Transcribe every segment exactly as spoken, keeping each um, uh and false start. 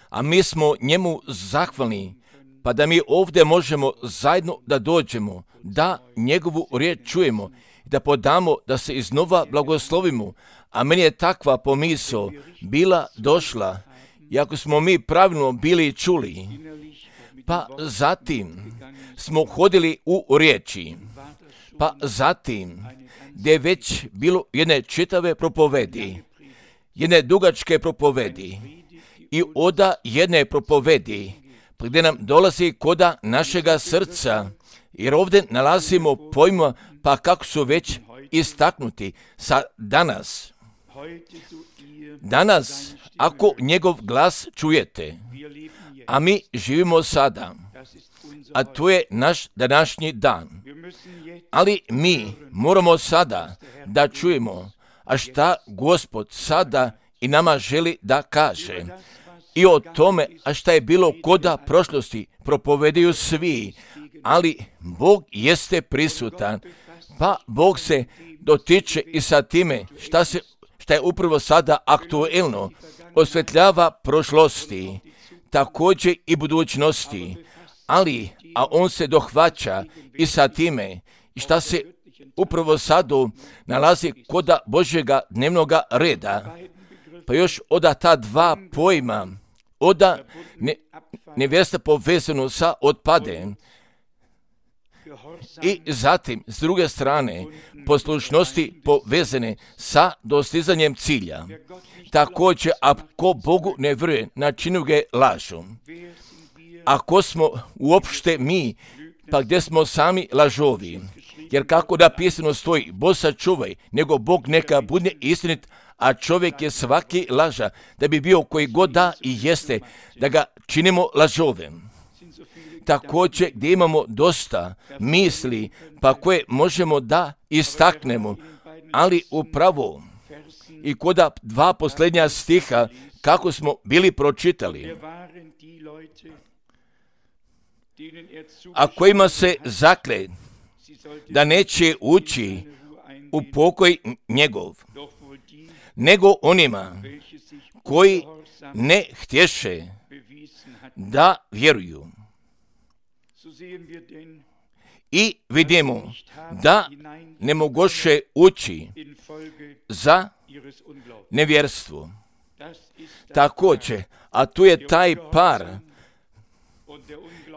A mi smo njemu zahvalni, pa da mi ovdje možemo zajedno da dođemo, da njegovu riječ čujemo, da podamo, da se iznova blagoslovimo. A meni je takva pomisao bila došla, i ako smo mi pravilno bili čuli, pa zatim smo hodili u riječi, pa zatim gdje je već bilo jedne čitave propovedi, jedne dugačke propovedi i oda jedne propovedi, gdje nam dolazi koda našega srca, jer ovdje nalazimo pojma, pa kako su već istaknuti sa danas. Danas, ako njegov glas čujete, a mi živimo sada, a to je naš današnji dan. Ali mi moramo sada da čujemo, a šta Gospod sada i nama želi da kaže. I o tome, a šta je bilo koda prošlosti, propovedaju svi, ali Bog jeste prisutan, pa Bog se dotiče i sa time šta, se, šta je upravo sada aktuelno, osvetljava prošlosti, također i budućnosti, ali, a on se dohvaća i sa time i šta se upravo sada nalazi koda Božjega dnevnoga reda. Pa još oda ta dva pojma, oda ne, nevjesta povezano sa otpadem i zatim s druge strane poslušnosti povezane sa dostizanjem cilja. Također, ako Bogu ne vjeruje, načinu ga lažu. Ako smo uopšte mi, pa gdje smo sami lažovi, jer kako napisano stoji, Bog sačuvaj, nego Bog neka bude istinit, a čovjek je svaki laža, da bi bio koji god da i jeste, da ga činimo lažovem. Također gdje imamo dosta misli, pa koje možemo da istaknemo, ali upravo i koda dva posljednja stiha, kako smo bili pročitali, a kojima se zakle da neće ući u pokoj njegov, nego onima koji ne htješe da vjeruju. I vidimo da ne mogoše ući za nevjerstvo. Također, a tu je taj par,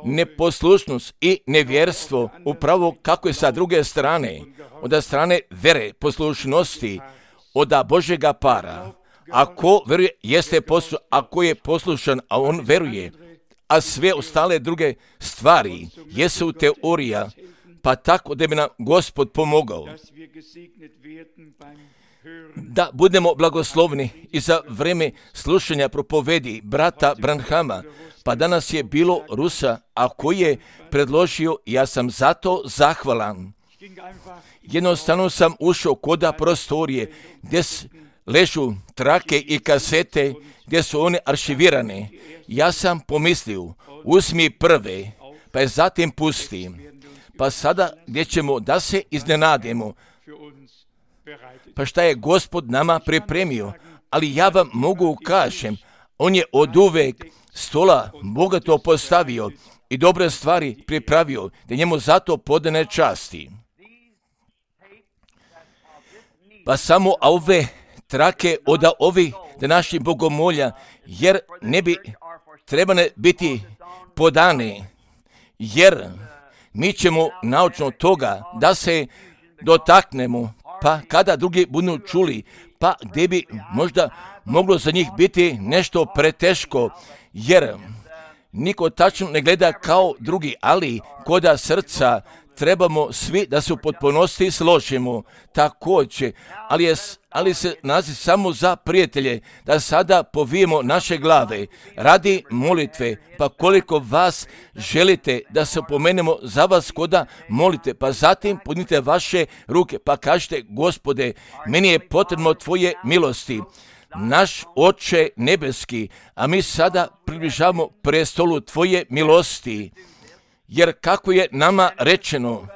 neposlušnost i nevjerstvo, upravo kako je sa druge strane, od strane vere, poslušnosti, od Božjega para. Ako veruje, jeste poslušan, ako je poslušan, a on veruje, a sve ostale druge stvari jesu teorija, pa tako da bi nam Gospod pomogao da budemo blagoslovni i za vreme slušanja propovedi brata Branhama, pa danas je bilo Rusa, a koji je predložio, ja sam zato zahvalan. Jednostavno sam ušao koda prostorije gdje ležu trake i kasete, gdje su one aršivirane. Ja sam pomislio, uzmi prve, pa je zatim pusti. Pa sada gdje ćemo da se iznenadimo, pa šta je Gospod nama pripremio, ali ja vam mogu kažem, on je od uvek stola bogato postavio i dobre stvari pripravio, da njemu zato podane časti. Pa samo ove trake od ovih današnjih bogomolja, jer ne bi trebane biti podane, jer mi ćemo naučno toga da se dotaknemo, pa kada drugi budu čuli, pa gdje bi možda moglo za njih biti nešto preteško, jer niko tačno ne gleda kao drugi, ali koda srca trebamo svi da se u potpunosti složimo također, ali, je, ali se nalazi samo za prijatelje, da sada povijemo naše glave radi molitve, pa koliko vas želite da se pomenemo za vas koda molite, pa zatim podnite vaše ruke, pa kažete, Gospode, meni je potrebno tvoje milosti. Naš Oče nebeski, a mi sada približavamo prestolu tvoje milosti, jer kako je nama rečeno,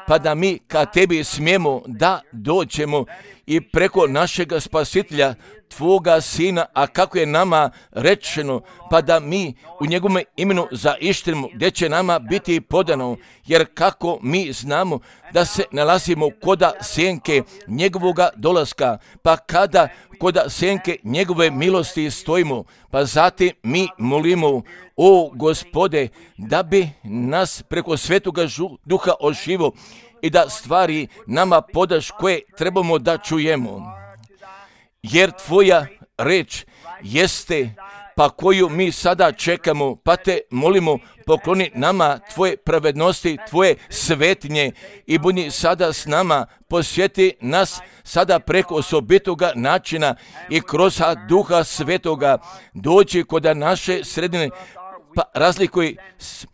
pa da mi ka tebi smijemo da dođemo, i preko našega spasitelja, Tvoga Sina, a kako je nama rečeno, pa da mi u njegovom imenu zaištrimo, gdje će nama biti podano, jer kako mi znamo da se nalazimo koda senke njegovoga dolaska, pa kada koda senke njegove milosti stojimo, pa zatim mi molimo, o Gospode, da bi nas preko Svetoga Duha oživo i da stvari nama podaš koje trebamo da čujemo. Jer Tvoja reč jeste, pa koju mi sada čekamo, pa te molimo, pokloni nama Tvoje pravednosti, Tvoje svetinje i budi sada s nama, posjeti nas sada preko osobitoga načina i kroz Duha Svetoga, dođi kod naše sredine, pa razlikuj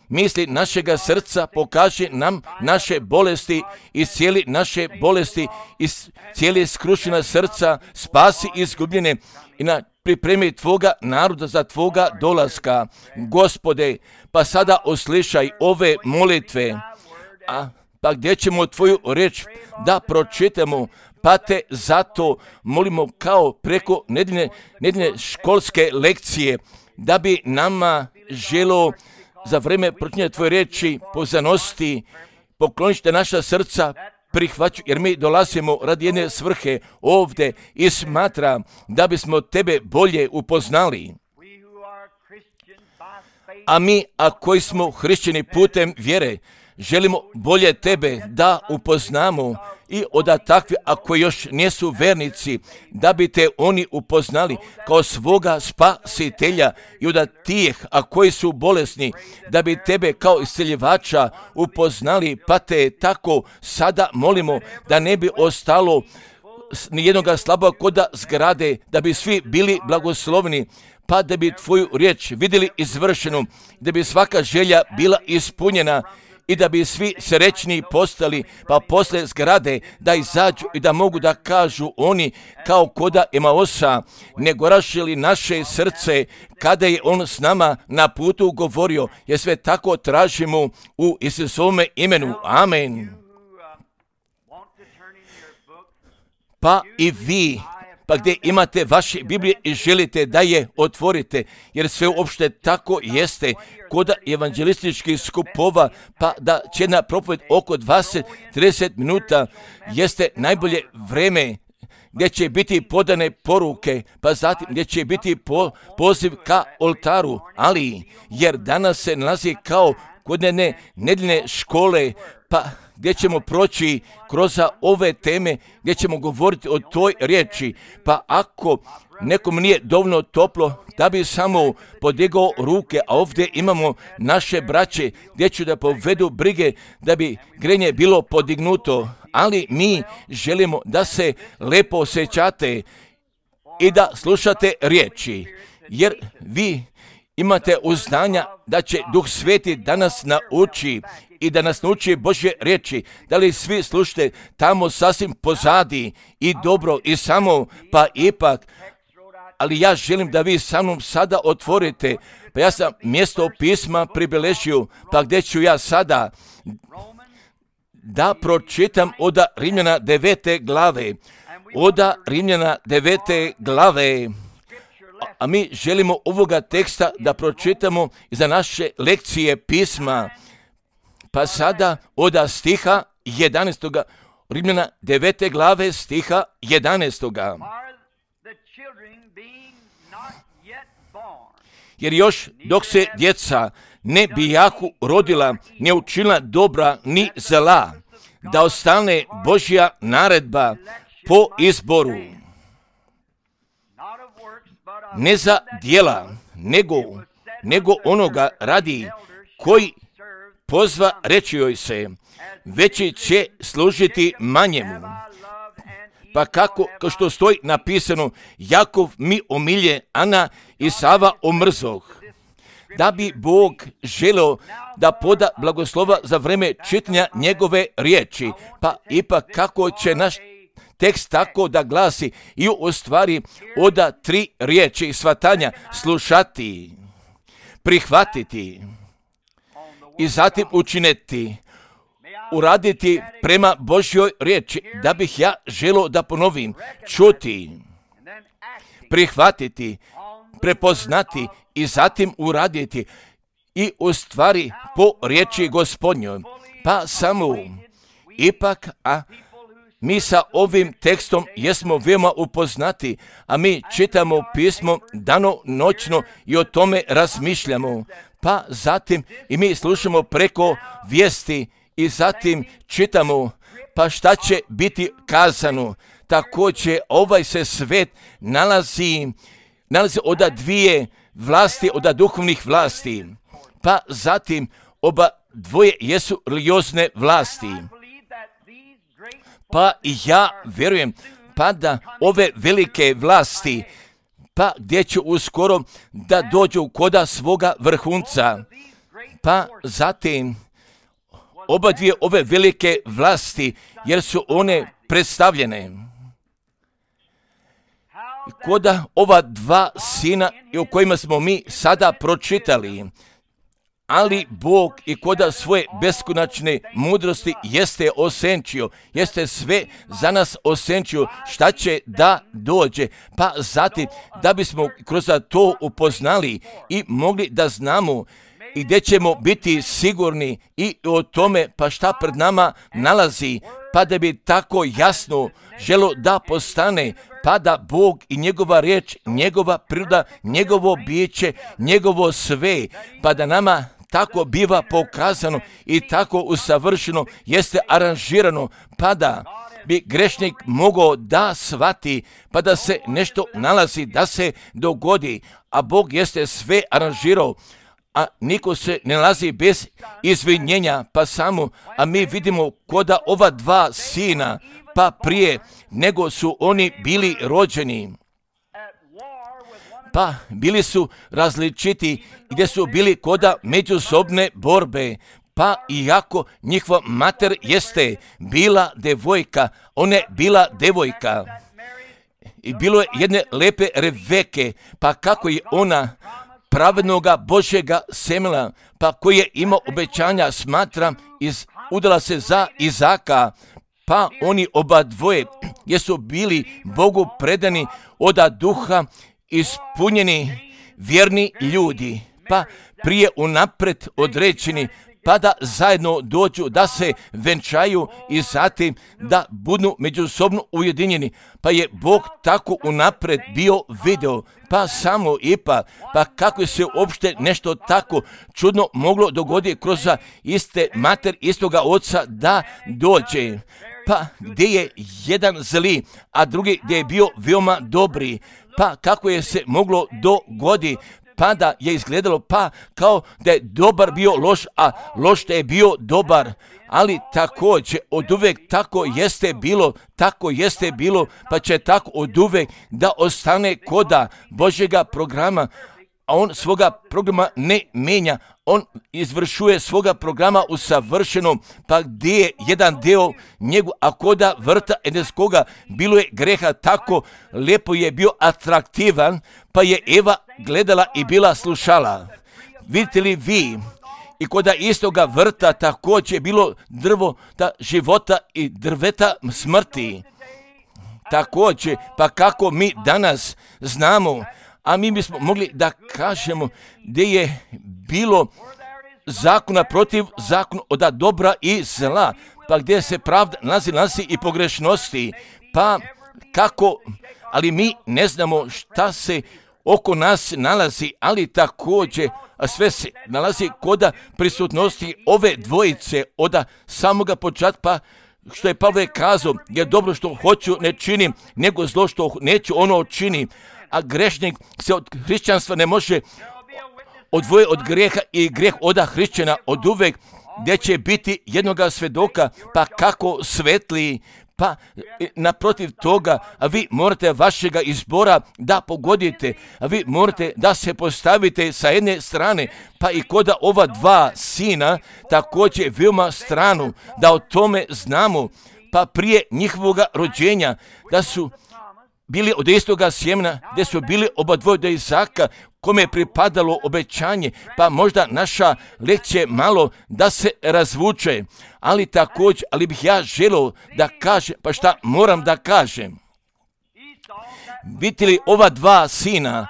misli našega srca, pokaži nam naše bolesti i cijeli naše bolesti i cijeli skrušena srca, spasi izgubljene i na pripremi Tvoga naroda za Tvoga dolaska. Gospode, pa sada oslišaj ove molitve, a pa gdje ćemo Tvoju reč da pročitamo, pa te zato molimo kao preko nedeljne, nedeljne školske lekcije, da bi nama želo za vreme pročitanja Tvoje reči pozanosti, poklonište naša srca prihvaću, jer mi dolazimo radi jedne svrhe ovdje i smatra da bismo Tebe bolje upoznali. A mi, a koji smo hrišćani putem vjere, želimo bolje Tebe da upoznamo i od takvi, ako još nisu vernici, da bi Te oni upoznali kao svoga spasitelja i od tih, a koji su bolesni, da bi Tebe kao isceljivača upoznali, pa Te tako sada molimo da ne bi ostalo nijednoga slabog koda zgrade, da bi svi bili blagoslovni, pa da bi Tvoju riječ vidjeli izvršenu, da bi svaka želja bila ispunjena i da bi svi srećni postali, pa posle zgrade da izađu i da mogu da kažu oni kao koda Emaosa, ne goraše li naše srce kada je on s nama na putu govorio, jer sve tako tražimo u Isusovome imenu. Amen. Pa i vi, pa gdje imate vaše Biblije i želite da je otvorite, jer sve uopšte tako jeste, kod evanđelističkih skupova, pa da će jedna propoved oko dvadeset do trideset minuta jeste najbolje vreme gdje će biti podane poruke, pa zatim gdje će biti po, poziv ka oltaru, ali jer danas se nalazi kao kod jedne nedeljne škole, pa gdje ćemo proći kroz ove teme, gdje ćemo govoriti o toj riječi, pa ako nekom nije dovoljno toplo, da bi samo podigao ruke, a ovdje imamo naše braće, gdje ću da povedu brige, da bi grenje bilo podignuto, ali mi želimo da se lepo osjećate i da slušate riječi, jer vi imate uznanja da će Duh Sveti da nas nauči i da nas nauči Božje riječi. Da li svi slušate tamo sasvim pozadi i dobro i samo, pa ipak, ali ja želim da vi sa mnom sada otvorite, pa ja sam mjesto pisma pribeležio, pa gdje ću ja sada da pročitam od Rimljana devete glave, od Rimljana devete glave. A mi želimo ovoga teksta da pročitamo za naše lekcije pisma. Pa sada od stiha jedanaestog. Rimljana devete glave stiha jedanaestog. Jer još dok se djeca ne bijahu rodila, ne učinila dobra ni zla, da ostane Božja naredba po izboru. Ne za djela, nego, nego onoga radi koji pozva reći joj se, veći će služiti manjemu. Pa kako, kao što stoji napisano, Jakov mi omilje, Ana i Sava omrzoh. Da bi Bog želeo da poda blagoslova za vreme čitanja njegove riječi, pa ipak kako će naš tekst tako da glasi i u stvari oda tri riječi shvatanja: slušati, prihvatiti i zatim učiniti. uraditi prema Božjoj riječi, da bih ja želio da ponovim, čuti, prihvatiti, prepoznati i zatim uraditi i u stvari po riječi Gospodnjoj. Pa samo ipak, a mi sa ovim tekstom jesmo veoma upoznati, a mi čitamo pismo dano noćno i o tome razmišljamo. Pa zatim i mi slušamo preko vijesti i zatim čitamo, pa šta će biti kazano. Također ovaj se svet nalazi, nalazi od dvije vlasti, od duhovnih vlasti. Pa zatim oba dvoje jesu religiozne vlasti. Pa i ja vjerujem pa da ove velike vlasti, pa gdje će uskoro da dođu koda svoga vrhunca. Pa zatim oba dvije ove velike vlasti, jer su one predstavljene koda ova dva sina o kojima smo mi sada pročitali. Ali Bog i koda svoje beskonačne mudrosti jeste osenčio, jeste sve za nas osenčio šta će da dođe. Pa zatim da bismo kroz to upoznali i mogli da znamo i gdje ćemo biti sigurni i o tome pa šta pred nama nalazi, pa da bi tako jasno želo da postane, pa da Bog i njegova riječ, njegova priroda, njegovo biće, njegovo sve, pa da nama tako biva pokazano i tako usavršeno jeste aranžirano, pa da bi grešnik mogao da shvati, pa da se nešto nalazi, da se dogodi, a Bog jeste sve aranžirao, a niko se ne nalazi bez izvinjenja, pa samo, a mi vidimo koda ova dva sina, pa prije nego su oni bili rođeni, pa bili su različiti gdje su bili koda međusobne borbe, pa iako njihova mater jeste bila devojka, ona je bila devojka i bilo je jedne lepe Reveke, pa kako je ona pravednoga Božjega semena, pa koji je imao obećanja, smatram, iz, udala se za Izaka, pa oni oba dvoje jesu bili Bogu predani oda duha, ispunjeni vjerni ljudi, pa prije unapred određeni, pa da zajedno dođu, da se venčaju i zatim da budu međusobno ujedinjeni. Pa je Bog tako unapred bio video, pa samo ipak, pa kako se uopšte nešto tako čudno moglo dogoditi kroz iste mater, istoga oca da dođe. Pa gdje je jedan zli, a drugi gdje je bio veoma dobri, pa kako je se moglo dogoditi, pa da je izgledalo pa kao da je dobar bio loš, a loš da je bio dobar, ali također od uvek tako jeste bilo, tako jeste bilo, pa će tako od uvek da ostane koda Božjega programa, a on svoga programa ne menja, on izvršuje svoga programa u savršenom, pa gdje je jedan deo njegu, a koda vrta edenskoga bilo je greha, tako lijepo je bio atraktivan, pa je Eva gledala i bila slušala. Vidite li vi, i koda istoga vrta također je bilo drvo ta života i drveta smrti. Također, pa kako mi danas znamo, a mi bismo mogli da kažemo gdje je bilo zakona protiv zakona od dobra i zla, pa gdje se pravda nalazi, nalazi i pogrešnosti, pa kako, ali mi ne znamo šta se oko nas nalazi, ali također a sve se nalazi koda prisutnosti ove dvojice od samoga početka, pa što je Pavle kazao, je dobro što hoću ne činim, nego zlo što neću ono činim. A grešnik se od hrišćanstva ne može odvoje od grijeha i grijeh oda hrišćana od uvek, gdje će biti jednoga svedoka, pa kako svetli, pa naprotiv toga, a vi morate vašega izbora da pogodite, a vi morate da se postavite sa jedne strane, pa i koda ova dva sina također veoma stranu, da o tome znamo, pa prije njihovoga rođenja, da su bili od istoga sjemena, gdje su bili oba dvoje od Izaka, kome je pripadalo obećanje, pa možda naša lekcija malo da se razvuče, ali također, ali bih ja želio da kažem, pa šta moram da kažem. Vidite li ova dva sina,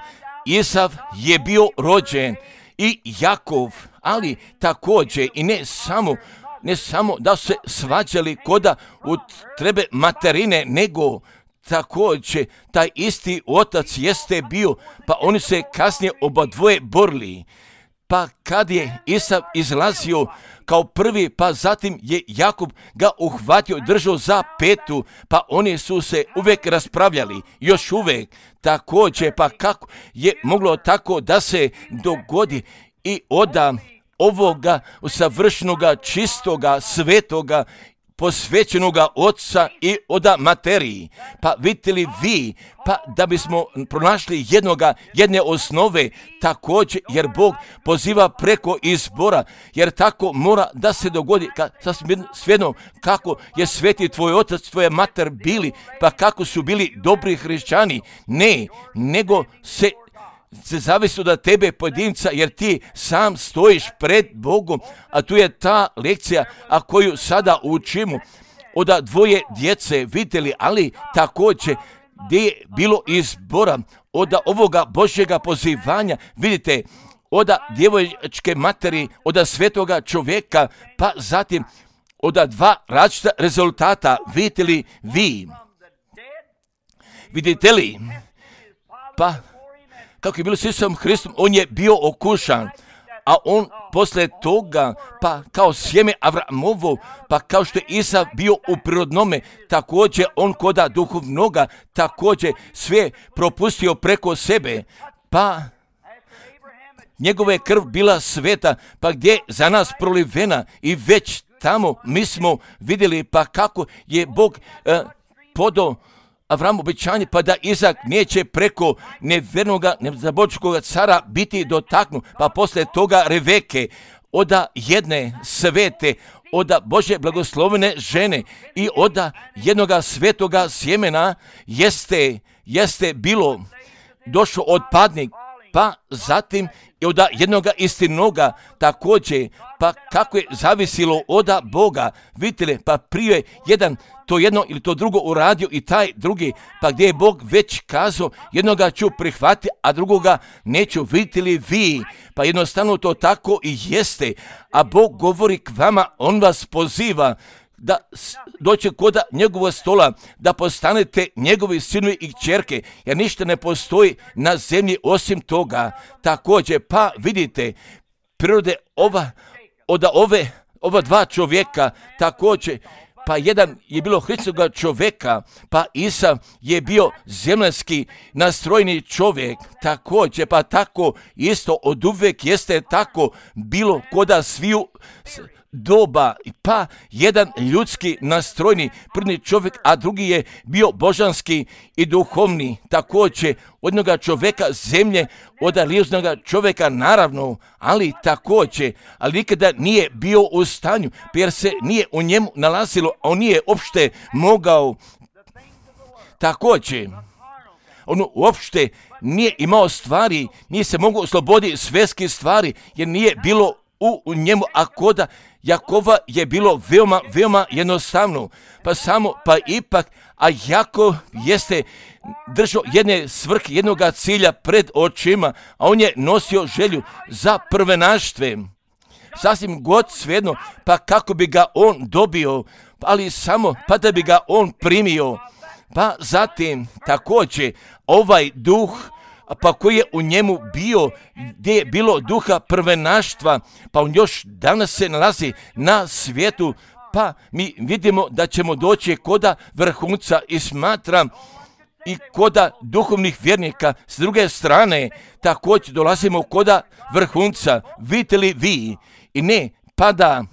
Isav je bio rođen i Jakov, ali također i ne samo, ne samo da su se svađali koda u trebe materine, nego također taj isti otac jeste bio, pa oni se kasnije oba dvoje borili. Pa kad je Isav izlazio kao prvi, pa zatim je Jakub ga uhvatio i držao za petu, pa oni su se uvijek raspravljali, još uvijek. Također, pa kako je moglo tako da se dogodi i oda ovoga savršenoga, čistoga, svetoga, posvećenoga oca i oda materiji. Pa vidite li vi, pa da bismo pronašli jednoga, jedne osnove, također jer Bog poziva preko izbora, jer tako mora da se dogodi, ka, sasvim svejedno kako je sveti tvoj otac, tvoja mater bili, pa kako su bili dobri hrišćani, ne, nego se se zavisi od tebe pojedinca, jer ti sam stojiš pred Bogom, a tu je ta lekcija, a koju sada učimo od dvoje djece, vidjeli, ali također gdje je bilo izbora od ovoga Božjega pozivanja, vidite, od djevojačke materi, od svetoga čovjeka, pa zatim od dva različita rezultata, vidite li vi, vidite li, pa kako je bilo s Isusom Hristom, on je bio okušan, a on posle toga, pa kao sjeme Avramovo, pa kao što je Isav bio u prirodnome, također on koda duhovnoga, također sve propustio preko sebe, pa njegova je krv bila sveta, pa gdje je za nas prolivena i već tamo mi smo vidjeli pa kako je Bog eh, podao Avram obećanje, pa da Izak neće preko nevjernoga, nezabočkoga cara biti dotaknut, pa posle toga Reveke, oda jedne svete, oda Božje blagoslovene žene i oda jednoga svetoga sjemena jeste, jeste bilo došao otpadnik, pa zatim i od jednoga istinoga također, pa kako je zavisilo od Boga, vidite li, pa prije jedan to jedno ili to drugo uradio i taj drugi, pa gdje je Bog već kazao, jednoga ću prihvatiti, a drugoga neću, vidite li vi, pa jednostavno to tako i jeste, a Bog govori k vama, on vas poziva, da doće koda njegova stola, da postanete njegovi sinovi i kćerke, jer ništa ne postoji na zemlji osim toga. Također, pa vidite, prirode ova, od ove, ova dva čovjeka, također, pa jedan je bilo Hristoga čovjeka, pa Isav je bio zemljanski nastrojeni čovjek, također, pa tako isto od uvijek jeste tako bilo koda sviju doba, pa jedan ljudski nastrojni prvi čovjek, a drugi je bio božanski i duhovni, također od jednoga čovjeka zemlje, od lijuznoga čovjeka naravno, ali također, ali nikada nije bio u stanju, jer se nije u njemu nalazilo, a on nije uopšte mogao, također, on uopšte nije imao stvari, nije se mogao osloboditi svjetskih stvari, jer nije bilo u, u njemu, a koda Jakova je bilo veoma, veoma jednostavno, pa samo, pa ipak, a Jakov jeste držao jedne svrhe, jednoga cilja pred očima, a on je nosio želju za prvenaštve, sasvim god svejedno, pa kako bi ga on dobio, ali samo pa da bi ga on primio, pa zatim također ovaj duh, pa koji je u njemu bio, gdje je bilo duha prvenaštva, pa on još danas se nalazi na svijetu, pa mi vidimo da ćemo doći koda vrhunca i smatram i koda duhovnih vjernika. S druge strane, također dolazimo koda vrhunca, vidite li vi, i ne, pa da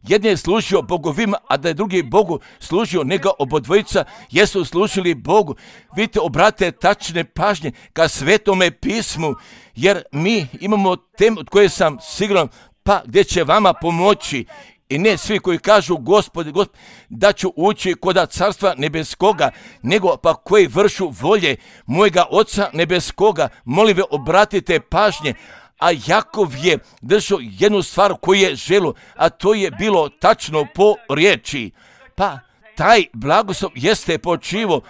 jedan je služio bogovima, a da je drugi Bogu služio, nego obodvojica jesu služili Bogu. Vidite, obrate tačne pažnje ka Svetome pismu, jer mi imamo temu od koje sam siguran, pa gdje će vama pomoći I ne svi koji kažu Gospodi, Gospodi, da ću ući kod carstva nebeskoga, nego pa koji vršu volje mojega Oca nebeskoga. Molim ve, obratite pažnje. A Jakov je držao jednu stvar koju je želio, a to je bilo tačno po riječi. Pa taj blagoslov jeste počivo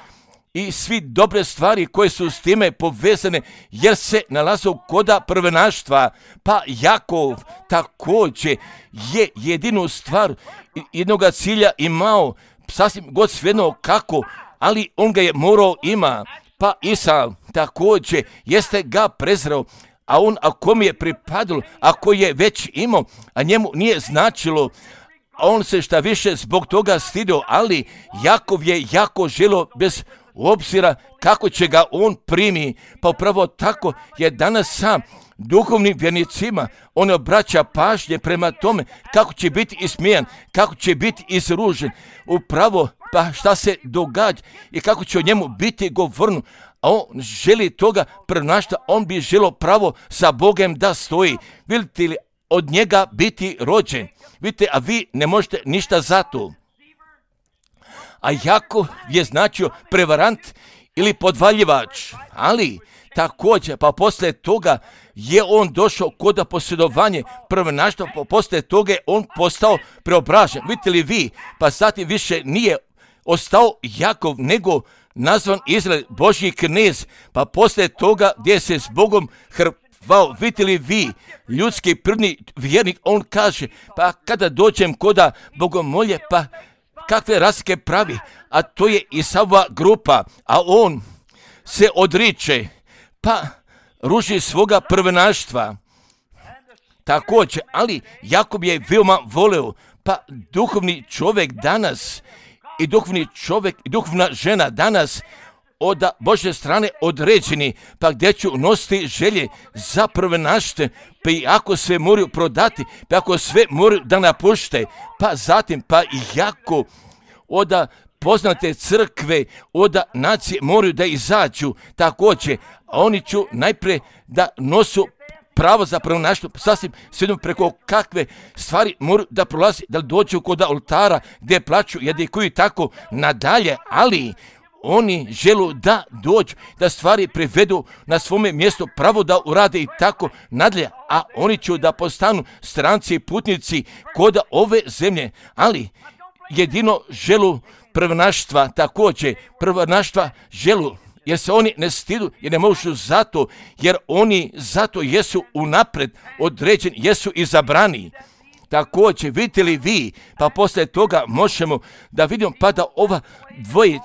i svi dobre stvari koje su s time povezane, jer se nalaze koda prvenaštva. Pa Jakov također je jedinu stvar, jednoga cilja imao, sasvim god svejedno kako, ali on ga je morao ima. Pa Isav također jeste ga prezreo, a on ako mi je pripadalo, ako je već imao, a njemu nije značilo, a on se šta više zbog toga stidio, ali Jakov je jako želio bez obzira kako će ga on primi. Pa upravo tako je danas sam duhovnim vjernicima on obraća pažnje prema tome kako će biti ismijan, kako će biti izružen, upravo pa šta se događa i kako će o njemu biti govorno. A on želi toga prenašta, on bi želio pravo sa Bogom da stoji. Vidite li, od njega biti rođen. Vidite, a vi ne možete ništa za to. A Jakov je značio prevarant ili podvaljivač, ali također, pa poslije toga je on došao kod posjedovanje prvenaštva, pa poslije toga je on postao preobražen. Vidite li vi, pa zatim više nije ostao Jakov, nego nazvan Izrael, Božji knez, pa poslije toga gdje se s Bogom hrvao. Vidite li vi, ljudski prvni vjernik, on kaže, pa kada dođem koda bogomolje, pa kakve razlike pravi, a to je Isavova grupa, a on se odriče, pa ruži svoga prvenaštva. Također, ali Jakov je veoma voleo, pa duhovni čovjek danas i duhovni čovjek i duhovna žena danas od Božje strane određeni, pa gdje ću nositi želje za prvenašte, pa i ako sve moraju prodati, pa ako sve moraju da napušte, pa zatim pa i jako od poznate crkve, od nacije moraju da izađu također, a oni ću najprije da nosu pravo za prvenaštvo, sasvim svijedno preko kakve stvari moraju da prolazi, da dođu kod oltara gdje plaću, jedikuju tako nadalje, ali oni želu da dođu, da stvari privedu na svome mjestu, pravo da urade i tako nadalje, a oni će da postanu stranci i putnici kod ove zemlje, ali jedino želu prvenaštva, također prvenaštva želu, jer se oni ne stidu, jer ne možu zato, jer oni zato jesu unapred određeni, jesu izabrani. Također, vidite li vi, pa poslije toga možemo da vidimo pa da ova dvoje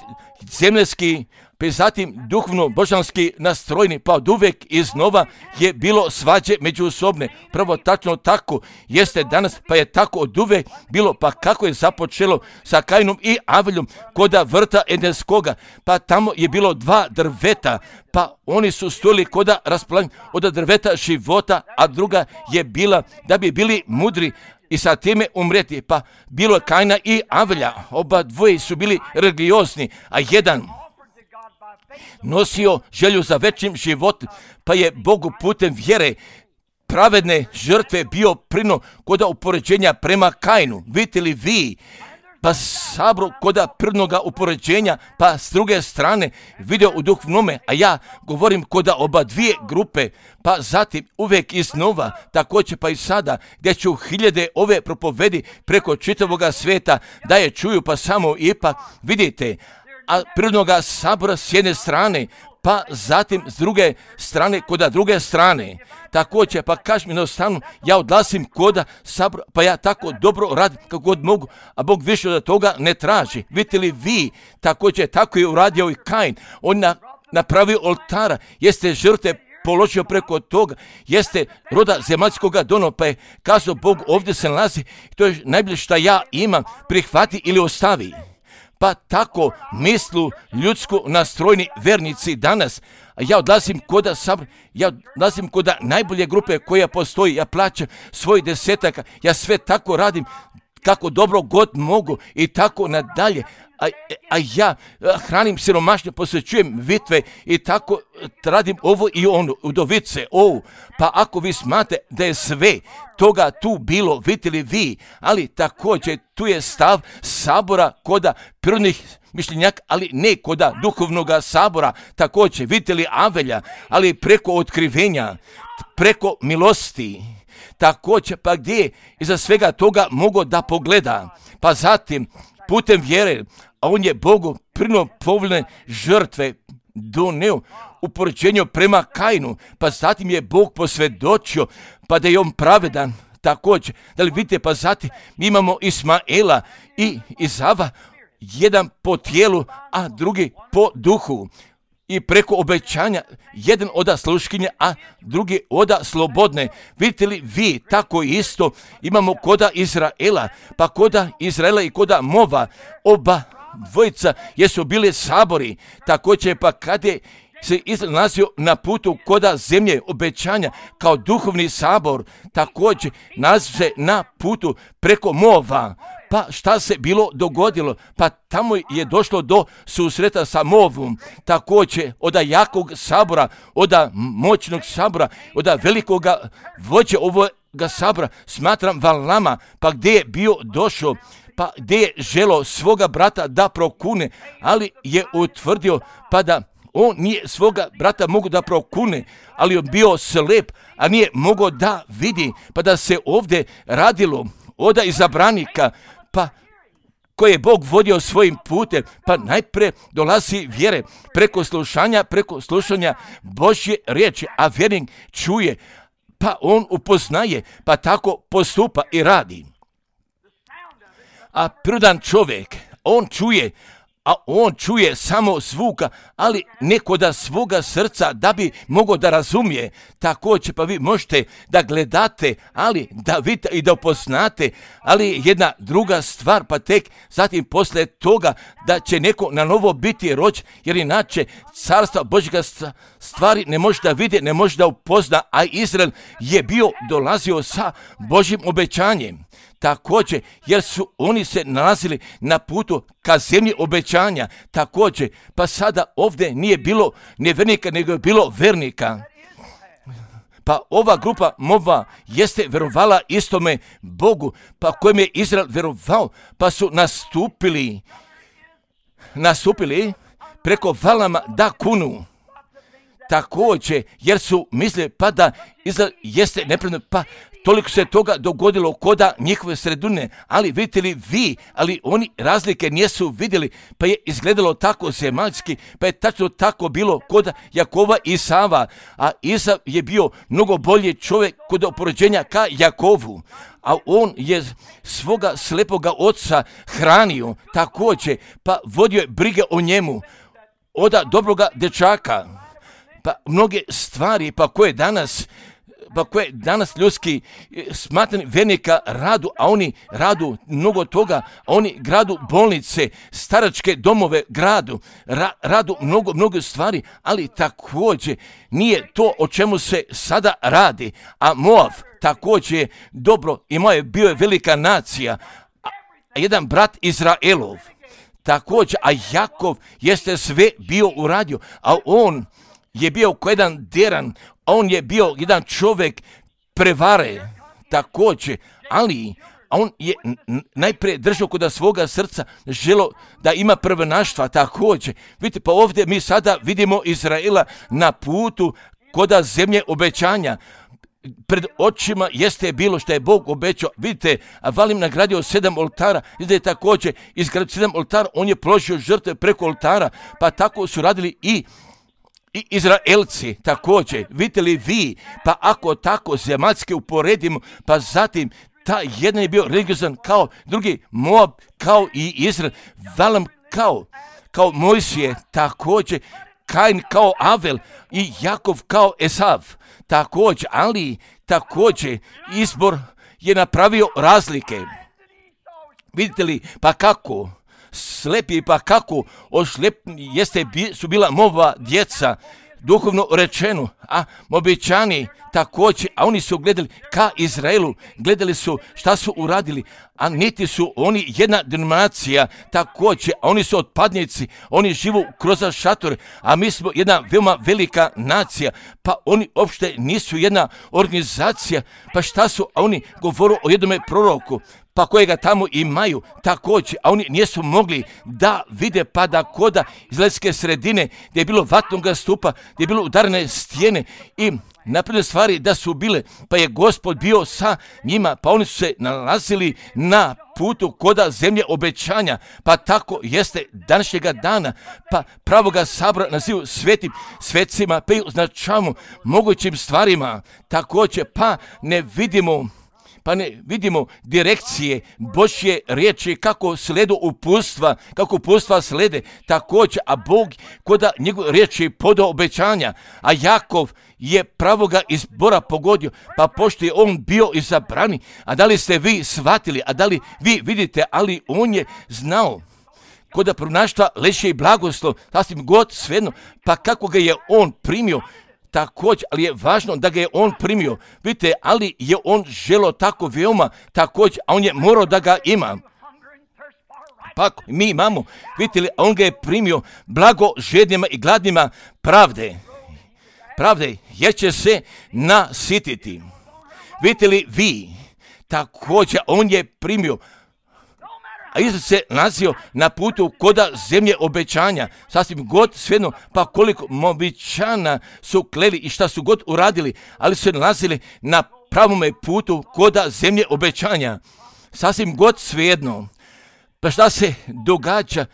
zemljski, pa zatim duhovno božanski nastrojni, pa od uvijek iznova je bilo svađe međusobne. Prvo tačno tako jeste danas, pa je tako od uvijek bilo, pa kako je započelo sa Kainom i Aveljom koda vrta Edenskoga, pa tamo je bilo dva drveta, pa oni su stojili koda raspolaganja od drveta života, a druga je bila da bi bili mudri i sa time umreti, pa bilo je Kaina i Avelja, oba dvoje su bili religiozni, a jedan nosio želju za večnim životom, pa je Bogu putem vjere pravedne žrtve bio prino koda upoređenja prema Kainu. Vidite li vi, pa sabro koda prvnoga upoređenja, pa s druge strane vidio u duhovnome, a ja govorim koda oba dvije grupe, pa zatim uvijek iznova, također pa i sada, gdje ću hiljade ove propovedi preko čitavoga svijeta da je čuju, pa samo ipak vidite, a prirodnoga sabora s jedne strane, pa zatim s druge strane, koda druge strane. Također, pa kažem jednostavno, ja odlasim koda sabora, pa ja tako dobro radim kako god mogu, a Bog više od toga ne traži. Vidite li vi, također, tako je uradio i Kain. On na, napravio oltara, jeste žrtve položio preko toga, jeste roda zemaljskoga dono, pa je kazao Bog, ovdje se nalazi, to je najbolje što ja imam, prihvati ili ostavi. Pa tako mislu ljudsku nastrojni vernici danas. Ja odlazim koda sabor, ja odlazim koda najbolje grupe koja postoji, ja plaćam svoj desetaka, ja sve tako radim kako dobro god mogu i tako nadalje. A, a ja hranim siromašne, posvećujem vitve i tako radim ovo i ono, udovice, ovo. Pa ako vi smatrate da je sve toga tu bilo, vidjeli vi, ali također tu je stav sabora koda prirodnih mišljenjaka, ali ne koda duhovnog sabora, također vidjeli Avelja, ali preko otkrivenja, preko milosti. Također, pa gdje je iza svega toga mogao da pogleda, pa zatim putem vjere, a on je Bogu prinuo povoljne žrtve doneo u poređenju prema Kainu, pa zatim je Bog posvjedočio, pa da je on pravedan. Također, da li vidite, pa zatim mi imamo Ismaela i Izava, jedan po tijelu, a drugi po duhu. I preko obećanja, jedan oda sluškinje, a drugi oda slobodne. Vidite li vi, tako isto imamo koda Izraela, pa koda Izraela i koda Mova, oba dvojica jesu bili sabori. Također pa kad je se Izrael nalazio na putu koda zemlje obećanja kao duhovni sabor, također nalazio se na putu preko Mova. Pa šta se bilo dogodilo? Pa tamo je došlo do susreta sa Movom, također oda jakog sabora, oda moćnog sabora, oda velikoga vođe ovoga sabora, smatram Valama, pa gdje je bio došao, pa gdje je želo svoga brata da prokune, ali je utvrdio pa da on nije svoga brata mogu da prokune, ali on bio slep, a nije mogao da vidi, pa da se ovdje radilo oda izabranika, pa koje je Bog vodio svojim putem, pa najprije dolazi vjere preko slušanja, preko slušanja Božje riječi, a vjernik čuje, pa on upoznaje, pa tako postupa i radi. A prirodan čovjek, on čuje, a on čuje samo zvuka, ali neko da svoga srca da bi mogao da razumije. Također pa vi možete da gledate, ali da vidite i da upoznate, ali jedna druga stvar, pa tek zatim poslije toga da će neko na novo biti rođen, jer inače carstva Božjega stvari ne može da vidi, ne može da upozna, a Izrael je bio dolazio sa Božjim obećanjem. Također, jer su oni se nalazili na putu ka zemlji obećanja, također, pa sada ovdje nije bilo nevjernika, nego je bilo vernika. Pa ova grupa Mova jeste verovala istome Bogu, pa kojem je Izrael verovao, pa su nastupili, nastupili preko Valama da kunu. Također, jer su mislili pa da Izrael jeste nepravedno, pa toliko se toga dogodilo koda njihove sredine, ali vidite li vi, ali oni razlike nisu vidjeli, pa je izgledalo tako zemaljski, pa je tačno tako bilo koda Jakova i Isava, a Isav je bio mnogo bolji čovjek kod oporođenja ka Jakovu, a on je svoga slepoga oca hranio također, pa vodio je brige o njemu, oda dobroga dečaka. Pa mnoge stvari, pa koje danas, pa koje danas ljudski smatrani vernika radu, a oni radu mnogo toga, a oni gradu bolnice, staračke domove gradu, ra, radu mnogo, mnogo stvari, ali također nije to o čemu se sada radi. A Moav također je dobro, imao je, bio je velika nacija, a jedan brat Izraelov, također, a Jakov jeste sve bio uradio, a on je bio ko jedan deran, on je bio jedan čovjek prevare, također, ali on je najprije držao kod svoga srca, želo da ima prvenaštva, također. Vidite, pa ovdje mi sada vidimo Izraela na putu koda zemlje obećanja. Pred očima jeste bilo što je Bog obećao. Vidite, a Valim nagradio sedam oltara, vidite također, izgradio sedam oltara, on je položio žrtve preko oltara, pa tako su radili i I Izraelci također, vidite li vi, pa ako tako zemaljski uporedimo, pa zatim ta jedan je bio religiozan kao drugi, Moab kao i Izrael, Valam kao, kao Mojsije također, Kain kao Avel i Jakov kao Esav također, ali također izbor je napravio razlike. Vidite li, pa kako? Slepi, pa kako ošlep jeste su bila Mova djeca, duhovno rečeno, a Moabičani također, a oni su gledali ka Izraelu, gledali su šta su uradili, a niti su oni jedna denominacija također, a oni su otpadnici, oni živu kroz šatore, a mi smo jedna veoma velika nacija, pa oni uopšte nisu jedna organizacija, pa šta su, a oni govoru o jednome proroku, pa kojega tamo imaju također, a oni nisu mogli da vide pa da koda izraelske sredine, gdje je bilo vatnoga stupa, gdje je bilo udarene stijene i napredne stvari da su bile, pa je Gospod bio sa njima, pa oni su se nalazili na putu koda zemlje obećanja, pa tako jeste današnjega dana, pa pravoga sabora nazivu svetim svecima, pa i označavamo mogućim stvarima, također, pa ne vidimo Pa ne vidimo direkcije Božje riječi kako sledu upustva, kako upustva slede također, a Bog koda njegove riječi podao obećanja, a Jakov je pravoga izbora pogodio, pa pošto je on bio izabrani, a da li ste vi shvatili, a da li vi vidite, ali on je znao koda pronaštva leže i blagoslov, sasvim god svejedno, pa kako ga je on primio, također, ali je važno da ga je on primio. Vidite, ali je on želo tako veoma također, a on je morao da ga ima. Pa mi imamo, vidite li, on ga je primio blago žednjima i gladnima pravde. Pravde, jer će se nasititi. Vidite li vi, također, on je primio, a Isus se nalazio na putu koda zemlje obećanja, sasvim god svejedno, pa koliko obećana su kleli i šta su god uradili, ali su se nalazili na pravome putu koda zemlje obećanja, sasvim god svejedno. Pa šta se događa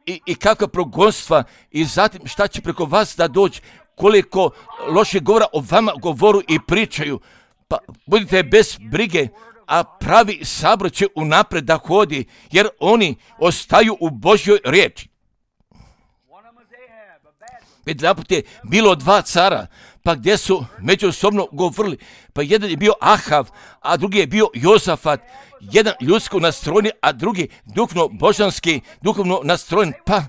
i, i kakva progonstva i zatim šta će preko vas da dođe, koliko loše govora o vama govoru i pričaju, pa budite bez brige, a pravi sabor će unapred da hodi, jer oni ostaju u Božjoj riječi. Jedanput je bilo dva cara, pa gdje su međusobno govorili, pa jedan je bio Ahav, a drugi je bio Jozafat, jedan ljudsko nastrojen, a drugi duhovno božanski, duhovno nastrojen, pa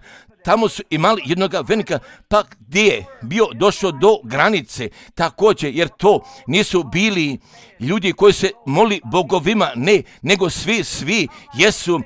tamo su imali jednog venika, pa gdje je bio došao do granice također, jer to nisu bili ljudi koji se moli bogovima, ne, nego svi, svi jesu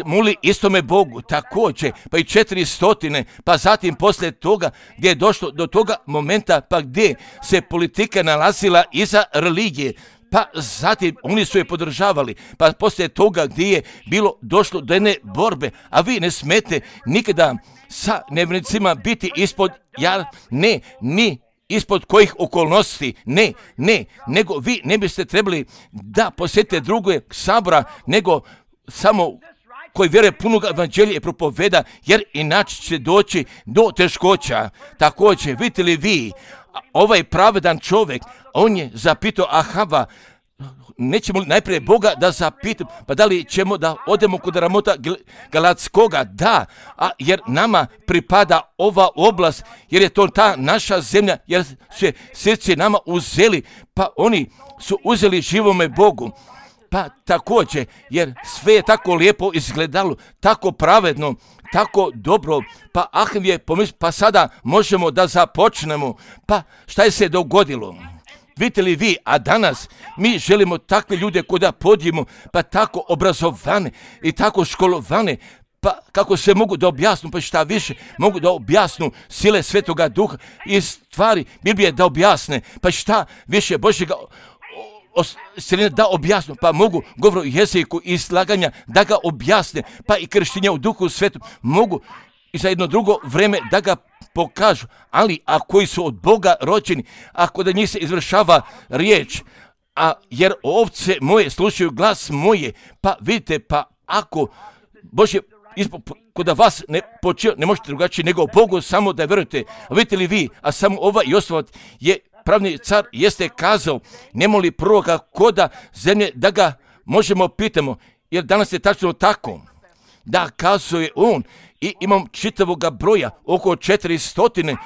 moli istome Bogu također, pa i četiri stotine, pa zatim poslije toga gdje je došlo do toga momenta, pa gdje se politika nalazila iza religije, pa zatim oni su je podržavali, pa poslije toga gdje je bilo došlo do jedne borbe, a vi ne smete nikada sa nevjernicima biti ispod, ja ne, ni ispod kojih okolnosti, ne, ne, nego vi ne biste trebali da posjetite druge sabora, nego samo koji vjeruje punog evanđelja i propoveda, jer inače će doći do teškoća. Također, vidite li vi, ovaj pravedan čovjek, on je zapitao Ahava, nećemo li najprije Boga da zapitam, pa da li ćemo da odemo kod Ramota Galatskoga? Da, a jer nama pripada ova oblast, jer je to ta naša zemlja, jer su srce nama uzeli, pa oni su uzeli živome Bogu. Pa također, jer sve je tako lijepo izgledalo, tako pravedno, tako dobro, pa Ahav je pomislio, pa sada možemo da započnemo, pa šta je se dogodilo? Vidite li vi, a danas mi želimo takve ljude koji da podijemo, pa tako obrazovane i tako školovane, pa kako se mogu da objasnu, pa šta više, mogu da objasnu sile Svetoga Duha i stvari Biblije da objasne, pa šta više Božjega da objasnu, pa mogu govoru jeziku i slaganja da ga objasne, pa i krštenja u Duhu Svetom mogu i za jedno drugo vreme da ga pokažu, ali a koji su od Boga rođeni, ako da njih se izvršava riječ, a jer ovce moje slušaju glas moje, pa vidite, pa ako Božje kod da vas ne počeo, ne možete drugačije nego Bogu samo da verujete. A vidite li vi, a samo ovaj Josafat je pravni car jeste kazao, nema li proroka koda zemlje da ga možemo pitamo, jer danas je tačno tako, da kazuje on i imam čitavoga broja, oko četiri stotine,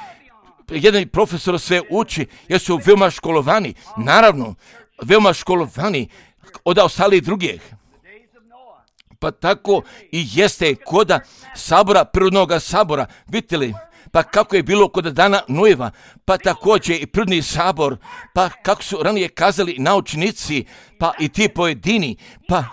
jedan profesor sve uči, jer su veoma školovani, naravno, veoma školovani od ostalih drugih. Pa tako i jeste koda sabora, prirodnog sabora, vidite li, pa kako je bilo kod dana Nojeva, pa također i prirodni sabor, pa kako su ranije kazali naučnici, pa i ti pojedini, pa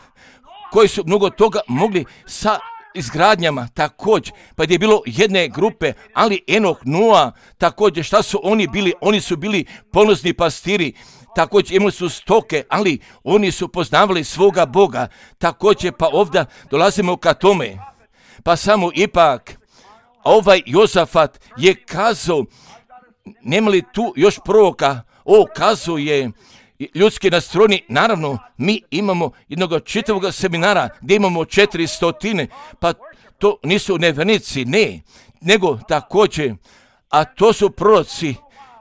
koji su mnogo toga mogli sa izgradnjama također, pa gdje je bilo jedne grupe, ali Enoh, Noa, također šta su oni bili? Oni su bili ponosni pastiri, također imali su stoke, ali oni su poznavali svoga Boga, također pa ovdje dolazimo ka tome, pa samo ipak ovaj Jozafat je kazao, nema li tu još proroka, o kazuje ljudski nastrojeni, naravno mi imamo jednog čitavog seminara gdje imamo četiri stotine, pa to nisu nevjernici, ne, nego također, a to su proroci,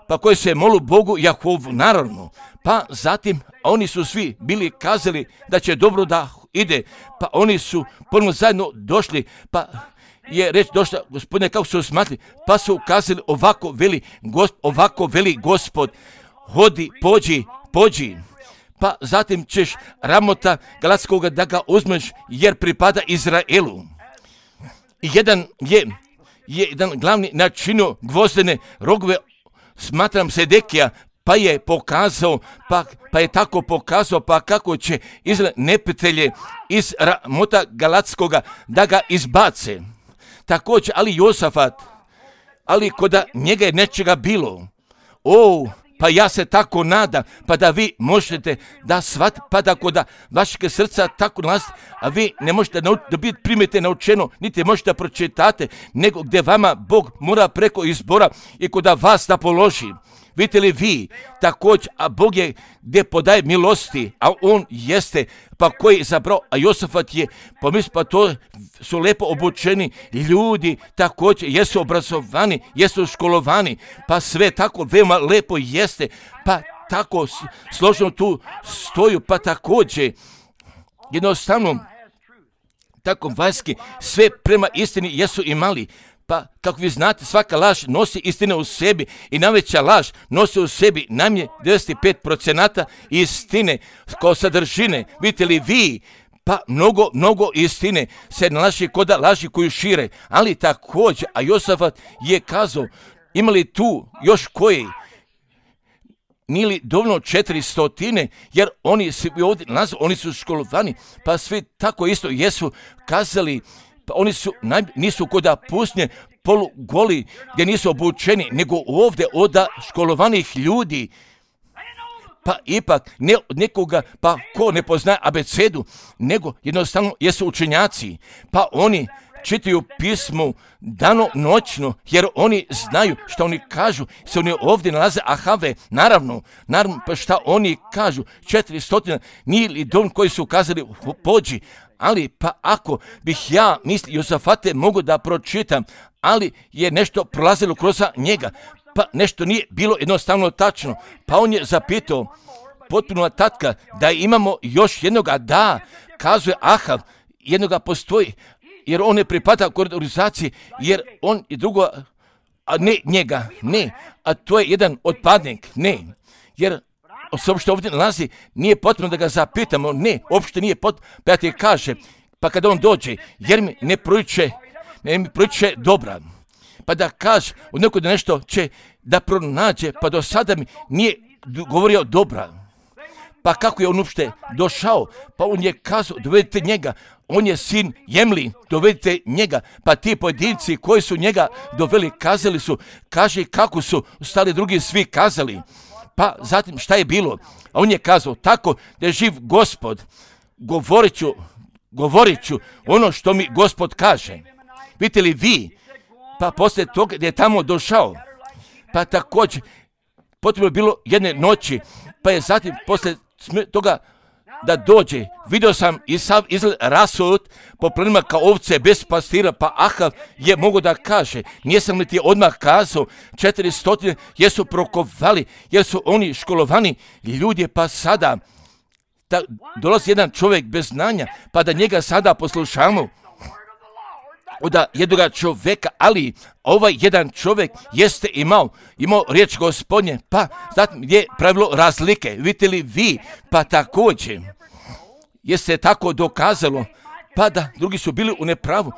pa koji se molu Bogu Jahovu, naravno, pa zatim oni su svi bili kazali da će dobro da ide, pa oni su ponovno zajedno došli, pa je reč došla, gospodine, kako su smatli, pa su kazali ovako veli, gosp, ovako veli Gospod, hodi, pođi, pođi, pa zatim ćeš Ramota Galatskog da ga uzmeš jer pripada Izraelu. Jedan je, je jedan glavni načinio gvozdene rogove, smatram Sedekija, pa je pokazao, pa, pa je tako pokazao, pa kako će Izrael neprijatelje iz Ramota Galatskoga da ga izbace. Također, ali Josafat, ali koda njega je nečega bilo, o, pa ja se tako nadam, pa da vi možete da shvatite, pa da koda vašeg srca tako nalazite, a vi ne možete da biti primite naučeno, niti možete da pročitate, nego gdje vama Bog mora preko izbora i koda vas da položi. Vidite li vi također, a Bog je gdje podaje milosti, a on jeste, pa koji je zabrao, a Josafat je, pomisli, pa to su lepo obučeni ljudi, također jesu obrazovani, jesu školovani, pa sve tako veoma lepo jeste, pa tako složeno tu stoju, pa također jednostavno tako vanjski sve prema istini jesu imali. Pa, kako vi znate, svaka laž nosi istine u sebi i najveća laž nosi u sebi najmanje devedeset pet procenata istine kao sadržine. Vidite li vi, pa mnogo, mnogo istine se nalazi kod laži koju šire, ali također, a Josafat je kazao, imali tu još koji, nije li dovoljno četiri stotine, jer oni su ovdje nalazi, oni su školovani, pa svi tako isto jesu kazali, pa oni su, naj, nisu koda pusnje polugoli gdje nisu obučeni, nego ovdje od školovanih ljudi, pa ipak ne od nekoga, pa ko ne poznaje abecedu, nego jednostavno jesu učenjaci, pa oni čitaju pismu dano noćno, jer oni znaju što oni kažu, se oni ovdje nalaze ahave, naravno, naravno, pa šta oni kažu, četiri stotine, nije li dom koji su kazali pođi, ali pa ako bih ja mislio Josafate mogu da pročitam, ali je nešto prolazilo kroz njega, pa nešto nije bilo jednostavno tačno, pa on je zapitao potpuno tatka da imamo još jednoga, da, kazuje Ahav, jednoga postoji, jer on ne pripada organizaciji, jer on je drugo, a ne njega, ne, a to je jedan otpadnik, ne, jer se uopšte ovdje nalazi, nije potrebno da ga zapitamo, ne, uopšte nije potrebno, pa ja ti kaže, pa kada on dođe, jer mi ne proliče, ne mi proliče dobra, pa da kaže, od nekog da nešto će da pronađe, pa do sada mi nije govorio dobra, pa kako je on uopšte došao, pa on je kazao, dovedite njega, on je sin Jemli, dovedite njega, pa ti pojedinci koji su njega doveli, kazali su, kaže kako su ostali drugi svi kazali, pa zatim šta je bilo, a on je kazao, tako da je živ Gospod, govorit ću, govorit ću ono što mi Gospod kaže. Vidite li vi, pa poslije toga gdje je tamo došao, pa također potrebno je bilo jedne noći, pa je zatim poslije toga da dođe, vidio sam i sav Izrael rasut po plenima kao ovce bez pastira, pa Ahav je mogo da kaže, nijesam li ti odmah kazao, četiri stotine jesu prokovali, jer su oni školovani ljudi, pa sada da dolazi jedan čovjek bez znanja, pa da njega sada poslušamo, od jednoga čovjeka, ali ovaj jedan čovjek jeste imao, imao riječ Gospodnje, pa zatim je pravilo razlike, vidite li vi, pa također, jeste tako dokazalo, pa da drugi su bili u nepravu,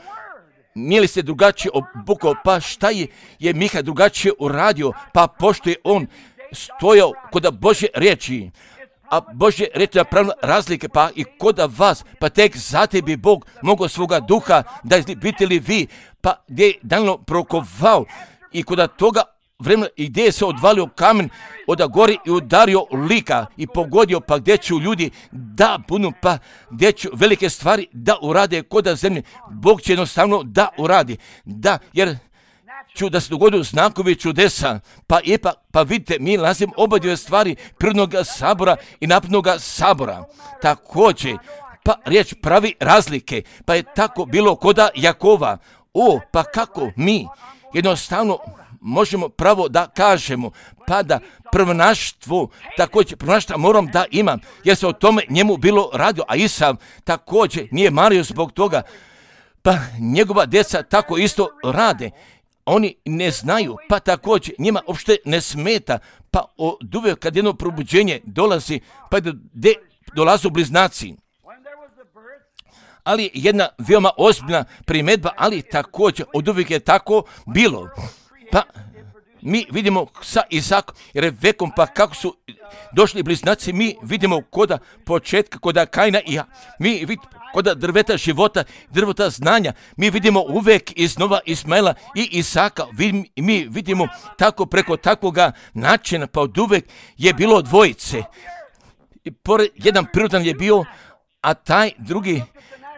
nije li se drugačije obukao, pa šta je, je Miha drugačije uradio, pa pošto je on stojao kod Božje riječi, a Božje reći napravila razlike, pa i kod vas, pa tek zatim bi Bog mogao svoga duha da biti li vi, pa gdje je Danilo prokovao i kod toga vremena i gdje je se odvalio kamen od gori i udario lika i pogodio, pa gdje ću ljudi da budu, pa gdje ću velike stvari da urade kod zemlje, Bog će jednostavno da uradi, da, jer ću da se dogodu znakovi čudesa, pa ipak, pa vidite, mi nalazimo oba dvije stvari prirodnog sabora i naprednog sabora. Također, pa riječ pravi razlike, pa je tako bilo koda Jakova. O, pa kako mi jednostavno možemo pravo da kažemo, pa da prvonaštvo, također prvonaštva moram da imam, jer se o tome njemu bilo radio, a Isav također nije mario zbog toga, pa njegova djeca tako isto rade. Oni ne znaju, pa također njima uopšte ne smeta, pa od uvijek kad jedno probuđenje dolazi, pa gdje dolazu bliznaci. Ali jedna veoma ozbiljna primjedba, ali također od uvijek je tako bilo. Pa mi vidimo sa Izakom i Rebekom, pa kako su došli bliznaci, mi vidimo koda početka, koda Kaina i ja. Mi vidimo koda drveta života, drveta znanja, mi vidimo uvijek iznova Ismaila i Isaka, mi vidimo tako preko takvoga načina, pa od uvijek je bilo dvojice. I pored, jedan prirodan je bio, a taj drugi,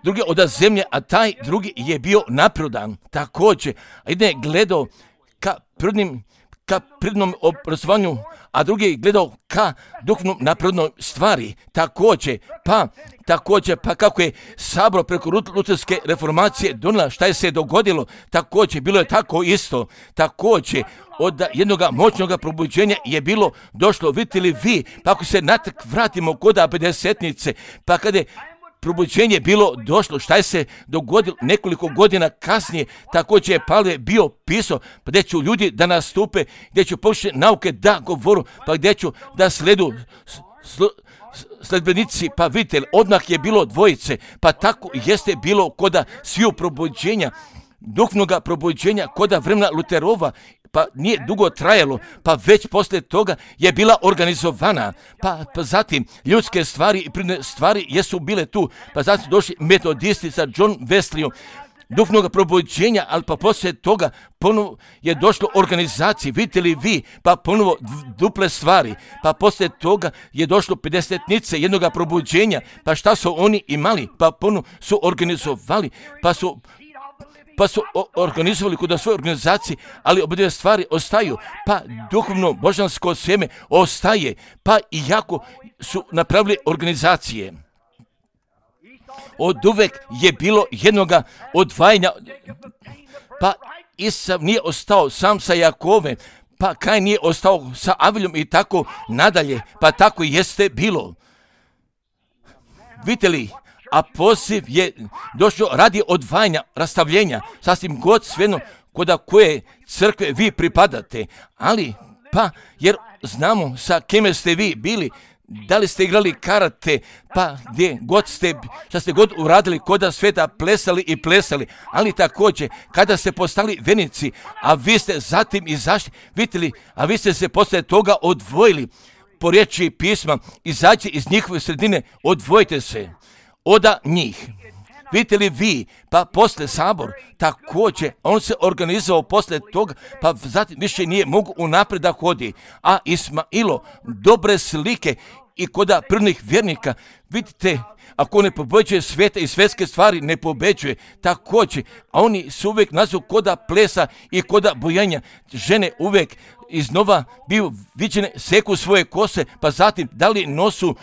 drugi od zemlje, a taj drugi je bio naprirodan. Također, jedan je gledao ka prirodnim, ka prirodnom obrazovanju, a drugi je gledao ka duhovnom naprednoj stvari. Također, pa, također, pa kako je sabor preko luterske reformacije donijela šta je se dogodilo, također, bilo je tako isto. Također, od jednog moćnog probuđenja je bilo došlo, vidite li vi, pa ako se natrag vratimo kod pedesetnice, pa kada je probuđenje bilo došlo, šta je se dogodilo nekoliko godina kasnije, također je Pavle bio pisao, pa gdje ću ljudi da nastupe, gdje ću pokušati nauke da govoru, pa gdje ću da sledu sl, sledbenici, pa vidite, odmah je bilo dvojice, pa tako jeste bilo koda sviju probuđenja, duhovnoga probuđenja, koda vremena Luterova, pa nije dugo trajalo, pa već poslije toga je bila organizovana, pa, pa zatim ljudske stvari i prirodne stvari jesu bile tu, pa zatim došli metodisti sa John Wesleyom, duhovnog probuđenja, ali pa poslije toga ponovo je došlo organizaciji, vidite li vi, pa ponovo duple stvari, pa poslije toga je došlo pedesetnice jednoga probuđenja, pa šta su oni imali, pa ponovo su organizovali, pa su pa su organizovali kod svoje organizacije, ali obje stvari ostaju, pa duhovno božansko sjeme ostaje, pa i jako su napravili organizacije. Od uvek je bilo jednoga odvajanja, pa Isav nije ostao sam sa Jakovem, pa Kain nije ostao sa Aviljom i tako nadalje, pa tako jeste bilo. Vidite li, a poziv je došao radi odvajanja, rastavljenja, sasvim god svejedno koda koje crkve vi pripadate, ali pa jer znamo sa kime ste vi bili, da li ste igrali karate, pa gdje god ste, šta ste god uradili, koda sveta plesali i plesali, ali također kada ste postali venici, a vi ste zatim izašli, vidite li, a vi ste se poslije toga odvojili, po riječi pisma, izađite iz njihove sredine, odvojite se oda njih. Vidite li vi, pa poslije sabor, također, on se organizovao poslije toga, pa zatim više nije mogu unaprijed da hodi. A Ismailo, dobre slike i koda prirodnih vjernika, vidite, ako ne pobeđuje svijete i svjetske stvari, ne pobeđuje. Također, a oni su uvijek nazvu koda plesa i koda bojanja. Žene uvijek iznova biju viđene, seku svoje kose, pa zatim da li nosu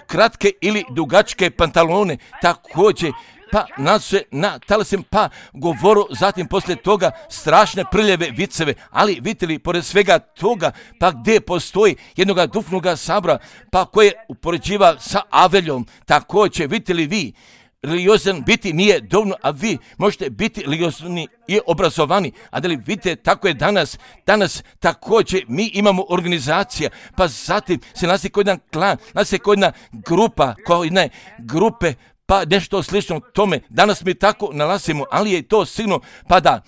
kratke ili dugačke pantalone. Također, pa nasu na talasem, pa govoru, zatim poslije toga strašne prljave viceve, ali vidite li, pored svega toga, pa gdje postoji jednoga duhovnoga sabora, pa koje upoređiva sa Aveljom, također, vidite li vi, religiozan biti nije dovoljno, a vi možete biti religiozni i obrazovani, a da li vidite, tako je danas, danas također mi imamo organizacija, pa zatim se nalazi kao jedan klan, nalazi kao jedna grupa, kao jedna grupe, pa nešto slično tome. Danas mi tako nalazimo, ali je to sigurno, pa da,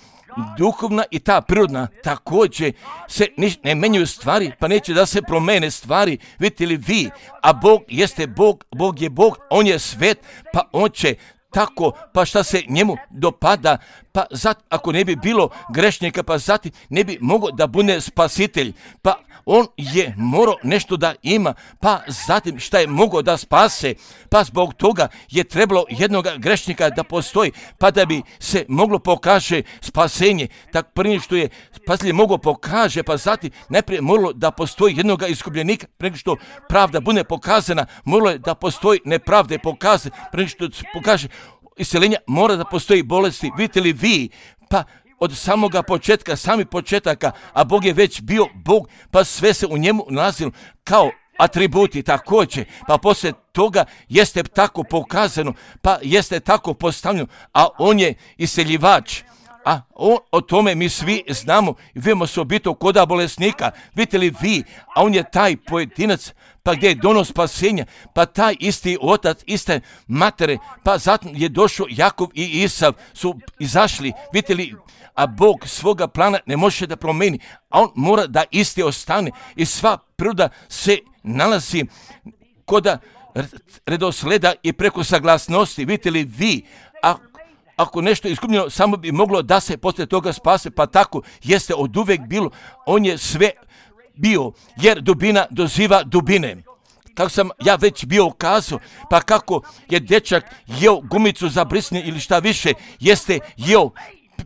duhovna i ta prirodna također se ne menjaju stvari, pa neće da se promene stvari, vidite li vi, a Bog jeste Bog, Bog je Bog, On je svet, pa On će tako, pa šta se njemu dopada, pa zat, ako ne bi bilo grešnika, pa zatim ne bi mogao da bude spasitelj, pa on je morao nešto da ima, pa zatim šta je mogao da spase, pa zbog toga je trebalo jednog grešnika da postoji, pa da bi se moglo pokaže spasenje. Tak prije što je spasitelj mogao pokaže, pa zatim najprije moralo da postoji jednog iskupljenika, prije što pravda bude pokazana, moralo je da postoji nepravde pokazane, prije što pokaže isceljenja, mora da postoji bolesti. Vidite li vi, pa od samoga početka, sami početaka, a Bog je već bio Bog, pa sve se u njemu nalazilo kao atributi također, pa poslije toga jeste tako pokazano, pa jeste tako postavljeno, a On je isceljivač. A on, o tome mi svi znamo i vidimo se obito koda bolesnika. Vidite li vi, a On je taj pojedinac, pa gdje je donos spasenja, pa taj isti otac, iste matere, pa zatim je došao Jakov i Isav, su izašli, vidite li, a Bog svoga plana ne može da promeni, a On mora da isti ostane i sva priroda se nalazi koda redosleda i preko saglasnosti. Vidite li vi, a ako nešto je izgubljeno, samo bi moglo da se poslije toga spase, pa tako jeste od uvek bilo. On je sve bio, jer dubina doziva dubine. Kako sam ja već bio ukazao, pa kako je dečak jeo gumicu za brisanje ili šta više, jeste jeo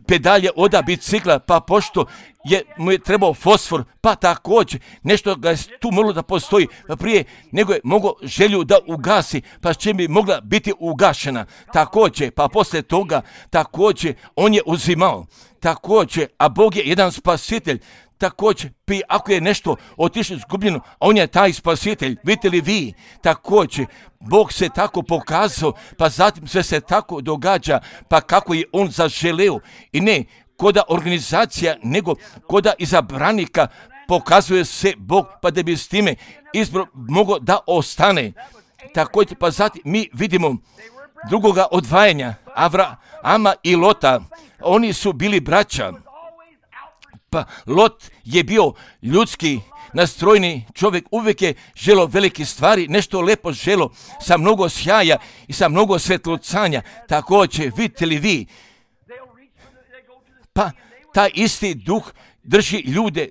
pedalje oda bicikla, pa pošto je, mu je trebao fosfor, pa također nešto ga je tu moralo da postoji, pa prije nego je mogao želju da ugasi, pa čim bi mogla biti ugašena. Također, pa poslije toga, također, on je uzimao. Također, a Bog je jedan spasitelj. Također, ako je nešto otišlo izgubljeno, On je taj spasitelj. Vidite li vi, također, Bog se tako pokazao, pa zatim sve se tako događa, pa kako je On zaželeo. I ne koda organizacija, nego koda izabranika pokazuje se Bog, pa da bi s time izbor mogao da ostane. Također, pa zatim mi vidimo drugoga odvajanja, Avrama i Lota. Oni su bili braća. Pa Lot je bio ljudski nastrojni čovjek, uvijek je želo velike stvari, nešto lepo želo, sa mnogo sjaja i sa mnogo svetlucanja. Također, vidite li vi, pa taj isti duh drži ljude,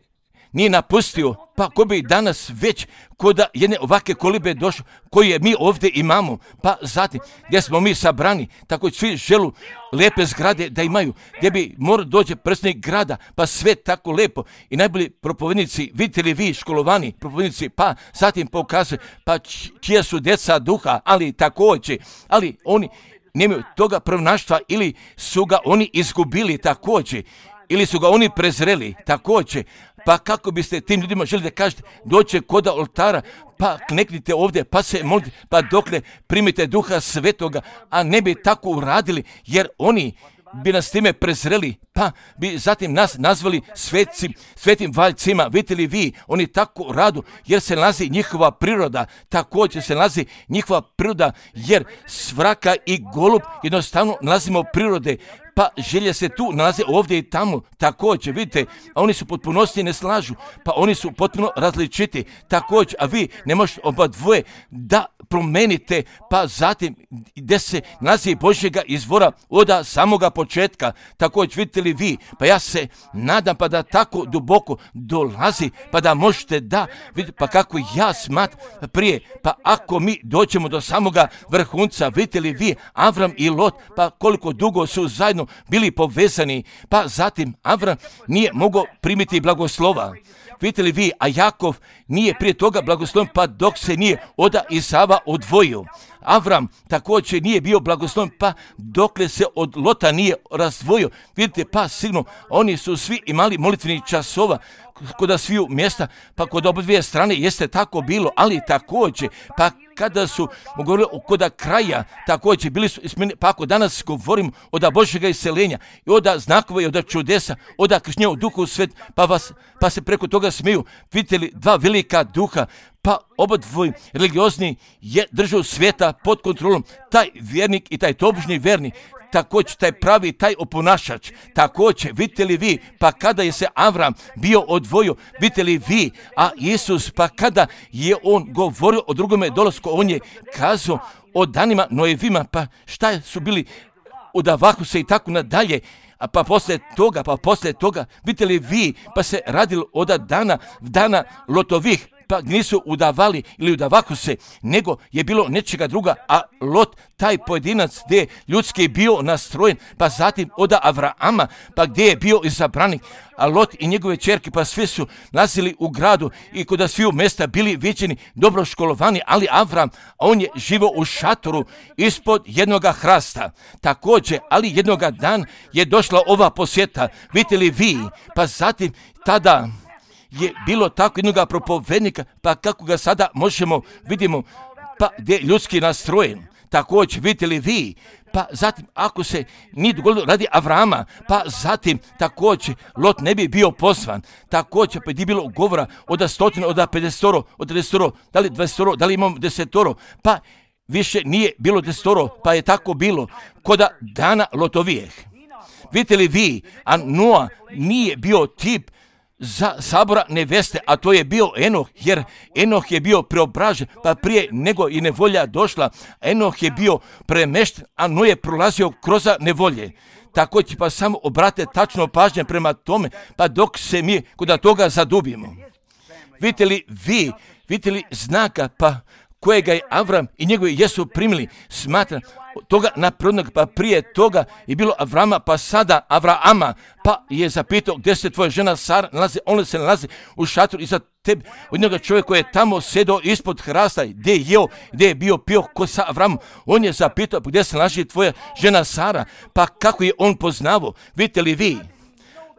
nije napustio, pa ko bi danas već koda jedne ovake kolibe došao, koje mi ovdje imamo, pa zatim gdje smo mi sabrani, tako svi želu lepe zgrade da imaju, gdje bi mora dođe predsjednik grada, pa sve tako lepo i najbolji propovednici, vidite li vi školovani propovednici, pa zatim pokazuje, pa čija su djeca duha, ali također, ali oni nemaju toga prvnaštva ili su ga oni izgubili također, ili su ga oni prezreli također. Pa kako biste tim ljudima želi da kažete, doće koda oltara, pa kneknite ovdje, pa se molite, pa dokle primite duha svetoga, a ne bi tako uradili, jer oni bi nas time prezreli, pa bi zatim nas nazvali svetci, svetim valjcima. Vidite li vi, oni tako radu, jer se nalazi njihova priroda, također se nalazi njihova priroda, jer svraka i golub jednostavno nalazimo prirode, pa želje se tu nalaze ovdje i tamo, također, vidite, a oni su potpunosti i ne slažu, pa oni su potpuno različiti, također, a vi ne možete oba dvoje da promenite, pa zatim gdje se nalazi Božjega izvora od samoga početka, također, vidite li vi, pa ja se nadam pa da tako duboko dolazi, pa da možete da vidite, pa kako ja smatram prije, pa ako mi dođemo do samoga vrhunca, vidite li vi, Avram i Lot, pa koliko dugo su zajedno bili povezani, pa zatim Avram nije mogao primiti blagoslova. Vidite li vi, a Jakov nije prije toga blagosloven, pa dok se nije od Isava odvojio. Avram također nije bio blagosloven, pa dokle se od Lota nije razdvojio. Vidite, pa sigurno, oni su svi imali molitvenih časova kod sviju mjesta, pa kod oba dvije strane jeste tako bilo, ali također, pa kada su govorili kod kraja, također bili su ismeni, pa ako danas govorimo od Božjega iseljenja i od znakova i od čudesa, od krštenja u duhu svet, pa, vas, pa se preko toga smiju, vidite li dva velika duha, pa oba dvoj religiozni je držao svijeta pod kontrolom, taj vjernik i taj tobožnji vjernik, također taj pravi, taj oponašač, također, vidite li vi, pa kada je se Avram bio odvojio, vidite li vi, a Isus, pa kada je on govorio o drugome dolasku, on je kazao o danima Noevima, pa šta su bili udavahu se i tako nadalje, a pa poslije toga, pa poslije toga, vidite li vi, pa se radilo od dana, dana Lotovih, pa nisu udavali ili udavahu se, nego je bilo nečega druga, a Lot, taj pojedinac gdje je ljudski bio nastrojen, pa zatim od Avrama, pa gdje je bio izabranik, a Lot i njegove ćerke, pa svi su nalazili u gradu i kod sviju mjesta bili viđeni, dobro školovani, ali Avram, on je živo u šatoru ispod jednoga hrasta. Također, ali jednoga dan je došla ova posjeta, vidite li vi, pa zatim tada je bilo tako jednoga propovednika, pa kako ga sada možemo, vidimo, pa gdje je ljudski nastrojen. Također, vidite li vi, pa zatim ako se nije dogodilo radi Avrama, pa zatim također Lot ne bi bio pozvan. Također, pa je bilo govora od stotine, od pedesetoro, od desetoro, da li dvadesetoro, da li imamo desetoro, pa više nije bilo desetoro, pa je tako bilo koda dana Lotovijeh. Vidite li vi, a Noa nije bio tip za sabora neveste, a to je bio Enoh, jer Enoh je bio preobražen, pa prije nego i nevolja došla, Enoh je bio premešten, a Noe je prolazio kroz nevolje. Također, pa samo obrate tačno pažnje prema tome, pa dok se mi kod toga zadubimo. Vidite li vi, vidite li znaka, pa kojega je Avram i njegovi jesu primili, smatra toga naprednog, pa prije toga je bilo Avrama, pa sada Avrama, pa je zapitao gdje se tvoja žena Sara nalazi, ona se nalazi u šatoru iza tebe, od njega čovjek koji je tamo sedao ispod hrasta, gdje je jeo, gdje je bio pio ko sa Avramom, on je zapitao gdje se nalazi tvoja žena Sara, pa kako je on poznavao, vidite li vi,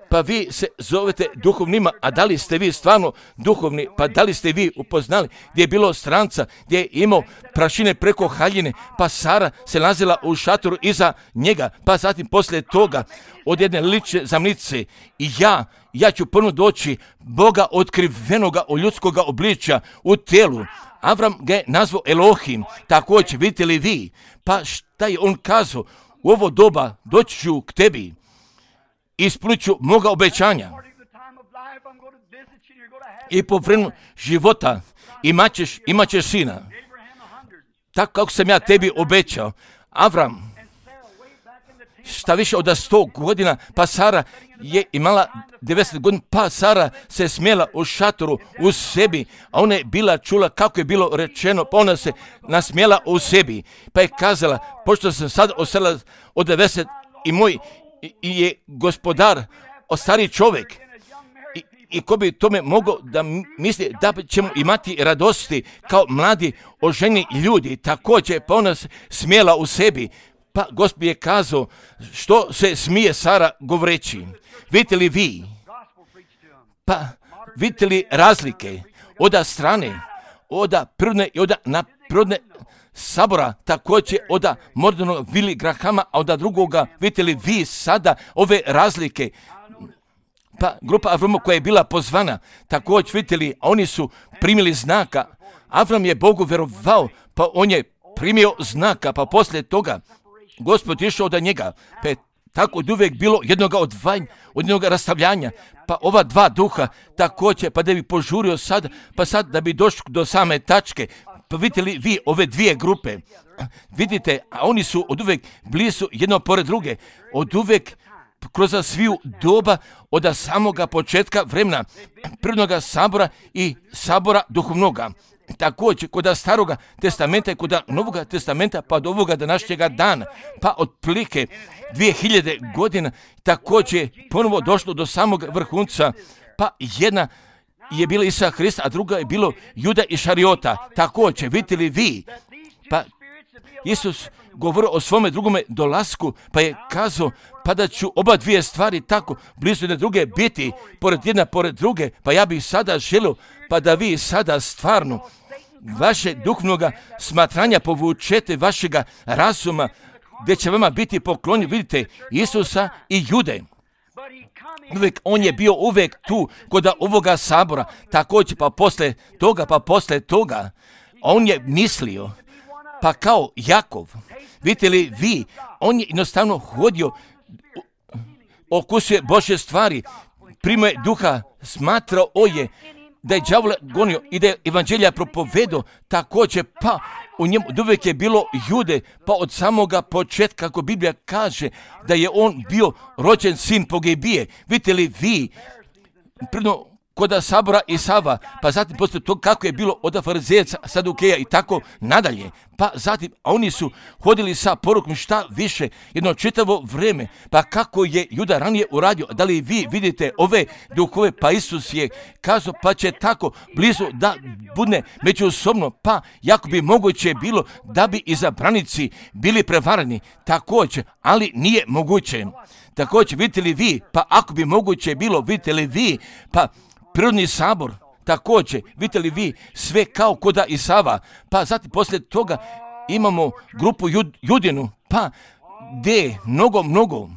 pa vi se zovete duhovnima, a da li ste vi stvarno duhovni, pa da li ste vi upoznali gdje je bilo stranca, gdje je imao prašine preko haljine, pa Sara se nalazila u šatoru iza njega, pa zatim poslije toga od jedne lične zamnice i ja, ja ću ponovno doći Boga otkrivenoga u ljudskoga obličja u telu. Avram ga je nazvao Elohim, također vidite li vi, pa šta je on kazao, u ovo doba doći ću k tebi, ispunit ću moga obećanja i po vremenu života imat ćeš, imat ćeš sina. Tako kako sam ja tebi obećao. Avram, šta više od sto godina, pa Sara je imala devedeset godina, pa Sara se smjela u šatoru u sebi, a ona je bila čula kako je bilo rečeno, pa ona se nasmjela u sebi, pa je kazala, pošto sam sad osela od devedeset i moj i je gospodar, o stari čovjek, i, i ko bi tome mogao da misli da ćemo imati radosti kao mladi oženi ljudi, također, pa ona se smjela u sebi, pa Gospod je kazao, što se smije Sara govoreći, vidite li vi, pa vidite li razlike, oda strane, oda prirodne i oda naprirodne sabora, također od Mordonog Vili Grahama, a od drugoga, vidite li vi sada ove razlike, pa grupa Avrama koja je bila pozvana, također vidite li, oni su primili znaka, Avram je Bogu vjerovao, pa on je primio znaka, pa poslije toga Gospod je išao od njega, pa je tako od uvijek bilo jednoga odvajanja, od jednoga rastavljanja, pa ova dva duha također, pa da bi požurio sad, pa sad da bi došli do same tačke, pa vidite li vi ove dvije grupe, vidite, a oni su od uvijek blizu jedno pored druge, od uvijek kroz sviju doba od samoga početka vremena, prirodnoga sabora i sabora duhovnoga. Također kod staroga testamenta i kod novoga testamenta pa do ovoga današnjega dana, pa otprilike dvije hiljade godina također ponovo došlo do samog vrhunca, pa jedna je bila Isa Hrista, a druga je bilo Juda i Šariota. Također, vidite li vi, pa Isus govorio o svome drugome dolasku, pa je kazao, pa da ću oba dvije stvari tako blizu jedne druge biti, pored jedna pored druge, pa ja bih sada želio, pa da vi sada stvarno vaše duhovnoga smatranja povučete vašega razuma, gdje će vama biti poklonjen, vidite, Isusa i Jude. Uvijek, on je bio uvijek tu kod ovoga sabora, također pa posle toga, pa posle toga, on je mislio, pa kao Jakov. Vidite li vi, on je jednostavno hodio, okusuje Božje stvari, primao je duha, smatrao je da je đavola gonio i da je evanđelja propovedao također, pa u njemu uvijek je bilo Jude, pa od samoga početka, kako Biblija kaže, da je on bio rođen sin pogibije. Vidite li vi, prvo kod Sabora i Sava, pa zatim poslije to kako je bilo od farizejaca, Sadukeja i tako nadalje. Pa zatim, a oni su hodili sa porukom šta više, jedno čitavo vrijeme, pa kako je Juda ranije uradio, da li vi vidite ove duhove, pa Isus je kazao, pa će tako blizu da bude međusobno, pa jako bi moguće bilo da bi izabranici bili prevarani, također, ali nije moguće. Također, vidite li vi, pa ako bi moguće bilo, vidite li vi, pa prirodni sabor, također, vidite li vi, sve kao koda i Sava, pa zatim poslije toga imamo grupu jud, Judinu, pa gdje mnogo, mnogo,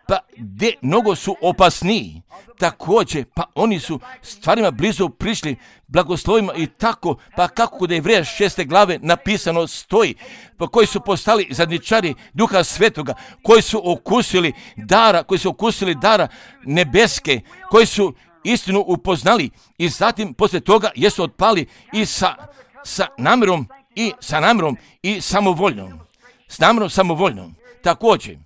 pa gdje mnogo su opasniji, također, pa oni su stvarima blizu prišli, blagoslovima i tako, pa kako kod Jevreja šeste glave napisano stoji, pa koji su postali zadnjičari Duha Svetoga, koji su okusili dara, koji su okusili dara nebeske, koji su istinu upoznali i zatim poslije toga jesu otpali i sa, sa namjerom i sa namjerom i samovoljnom. S namjerom samovoljnom. Također,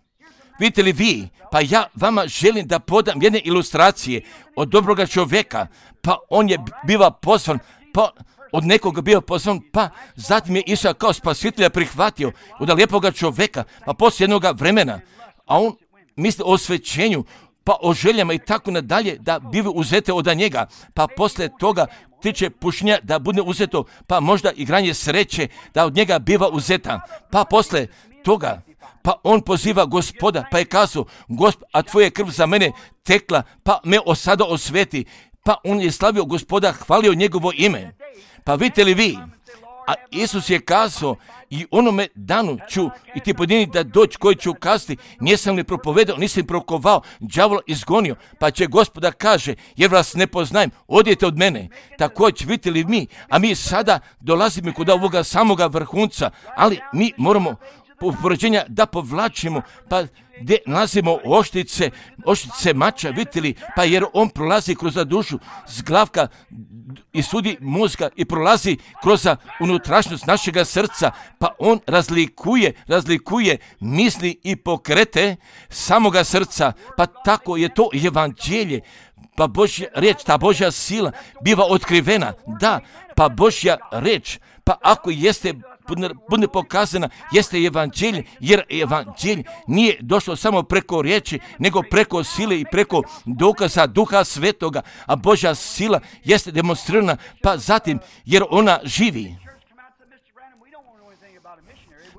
vidite li vi, pa ja vama želim da podam jedne ilustracije od dobroga čovjeka, pa on je biva pozvan, pa od nekoga bio pozvan, pa zatim je Isusa kao spasitelja prihvatio od lijepoga čovjeka, pa poslije jednog vremena, a on misli o osvećenju, pa o željama i tako nadalje, da bive uzete od njega, pa poslije toga tiče pušenja da bude uzeto, pa možda igranje sreće da od njega biva uzeta, pa poslije toga, pa on poziva Gospoda, pa je kazao, Gospod, a tvoja krv za mene tekla, pa me osada osveti, pa on je slavio Gospoda, hvalio njegovo ime. Pa vidite li vi, a Isus je kazao, i onome danu ću i ti pojedini da doći koji ću kazati, nisam li propovedao, nisam prokovao, đavola izgonio, pa će Gospoda kaže, jer vas ne poznajem, odijete od mene. Također, vidite li mi, a mi sada dolazimo kod ovoga samoga vrhunca, ali mi moramo upoređenja da povlačimo, pa gdje nalazimo oštice, oštice mača, vidite li, pa jer on prolazi kroz dušu, zglavka i sudi mozga i prolazi kroz unutrašnjost našega srca, pa on razlikuje, razlikuje misli i pokrete samoga srca, pa tako je to evanđelje, pa Božja riječ, ta Božja sila biva otkrivena, da, pa Božja riječ, pa ako jeste bude pokazana, jeste evanđelje, jer evanđelje nije došlo samo preko riječi, nego preko sile i preko dokaza Duha Svetoga, a Božja sila jeste demonstrirana, pa zatim, jer ona živi.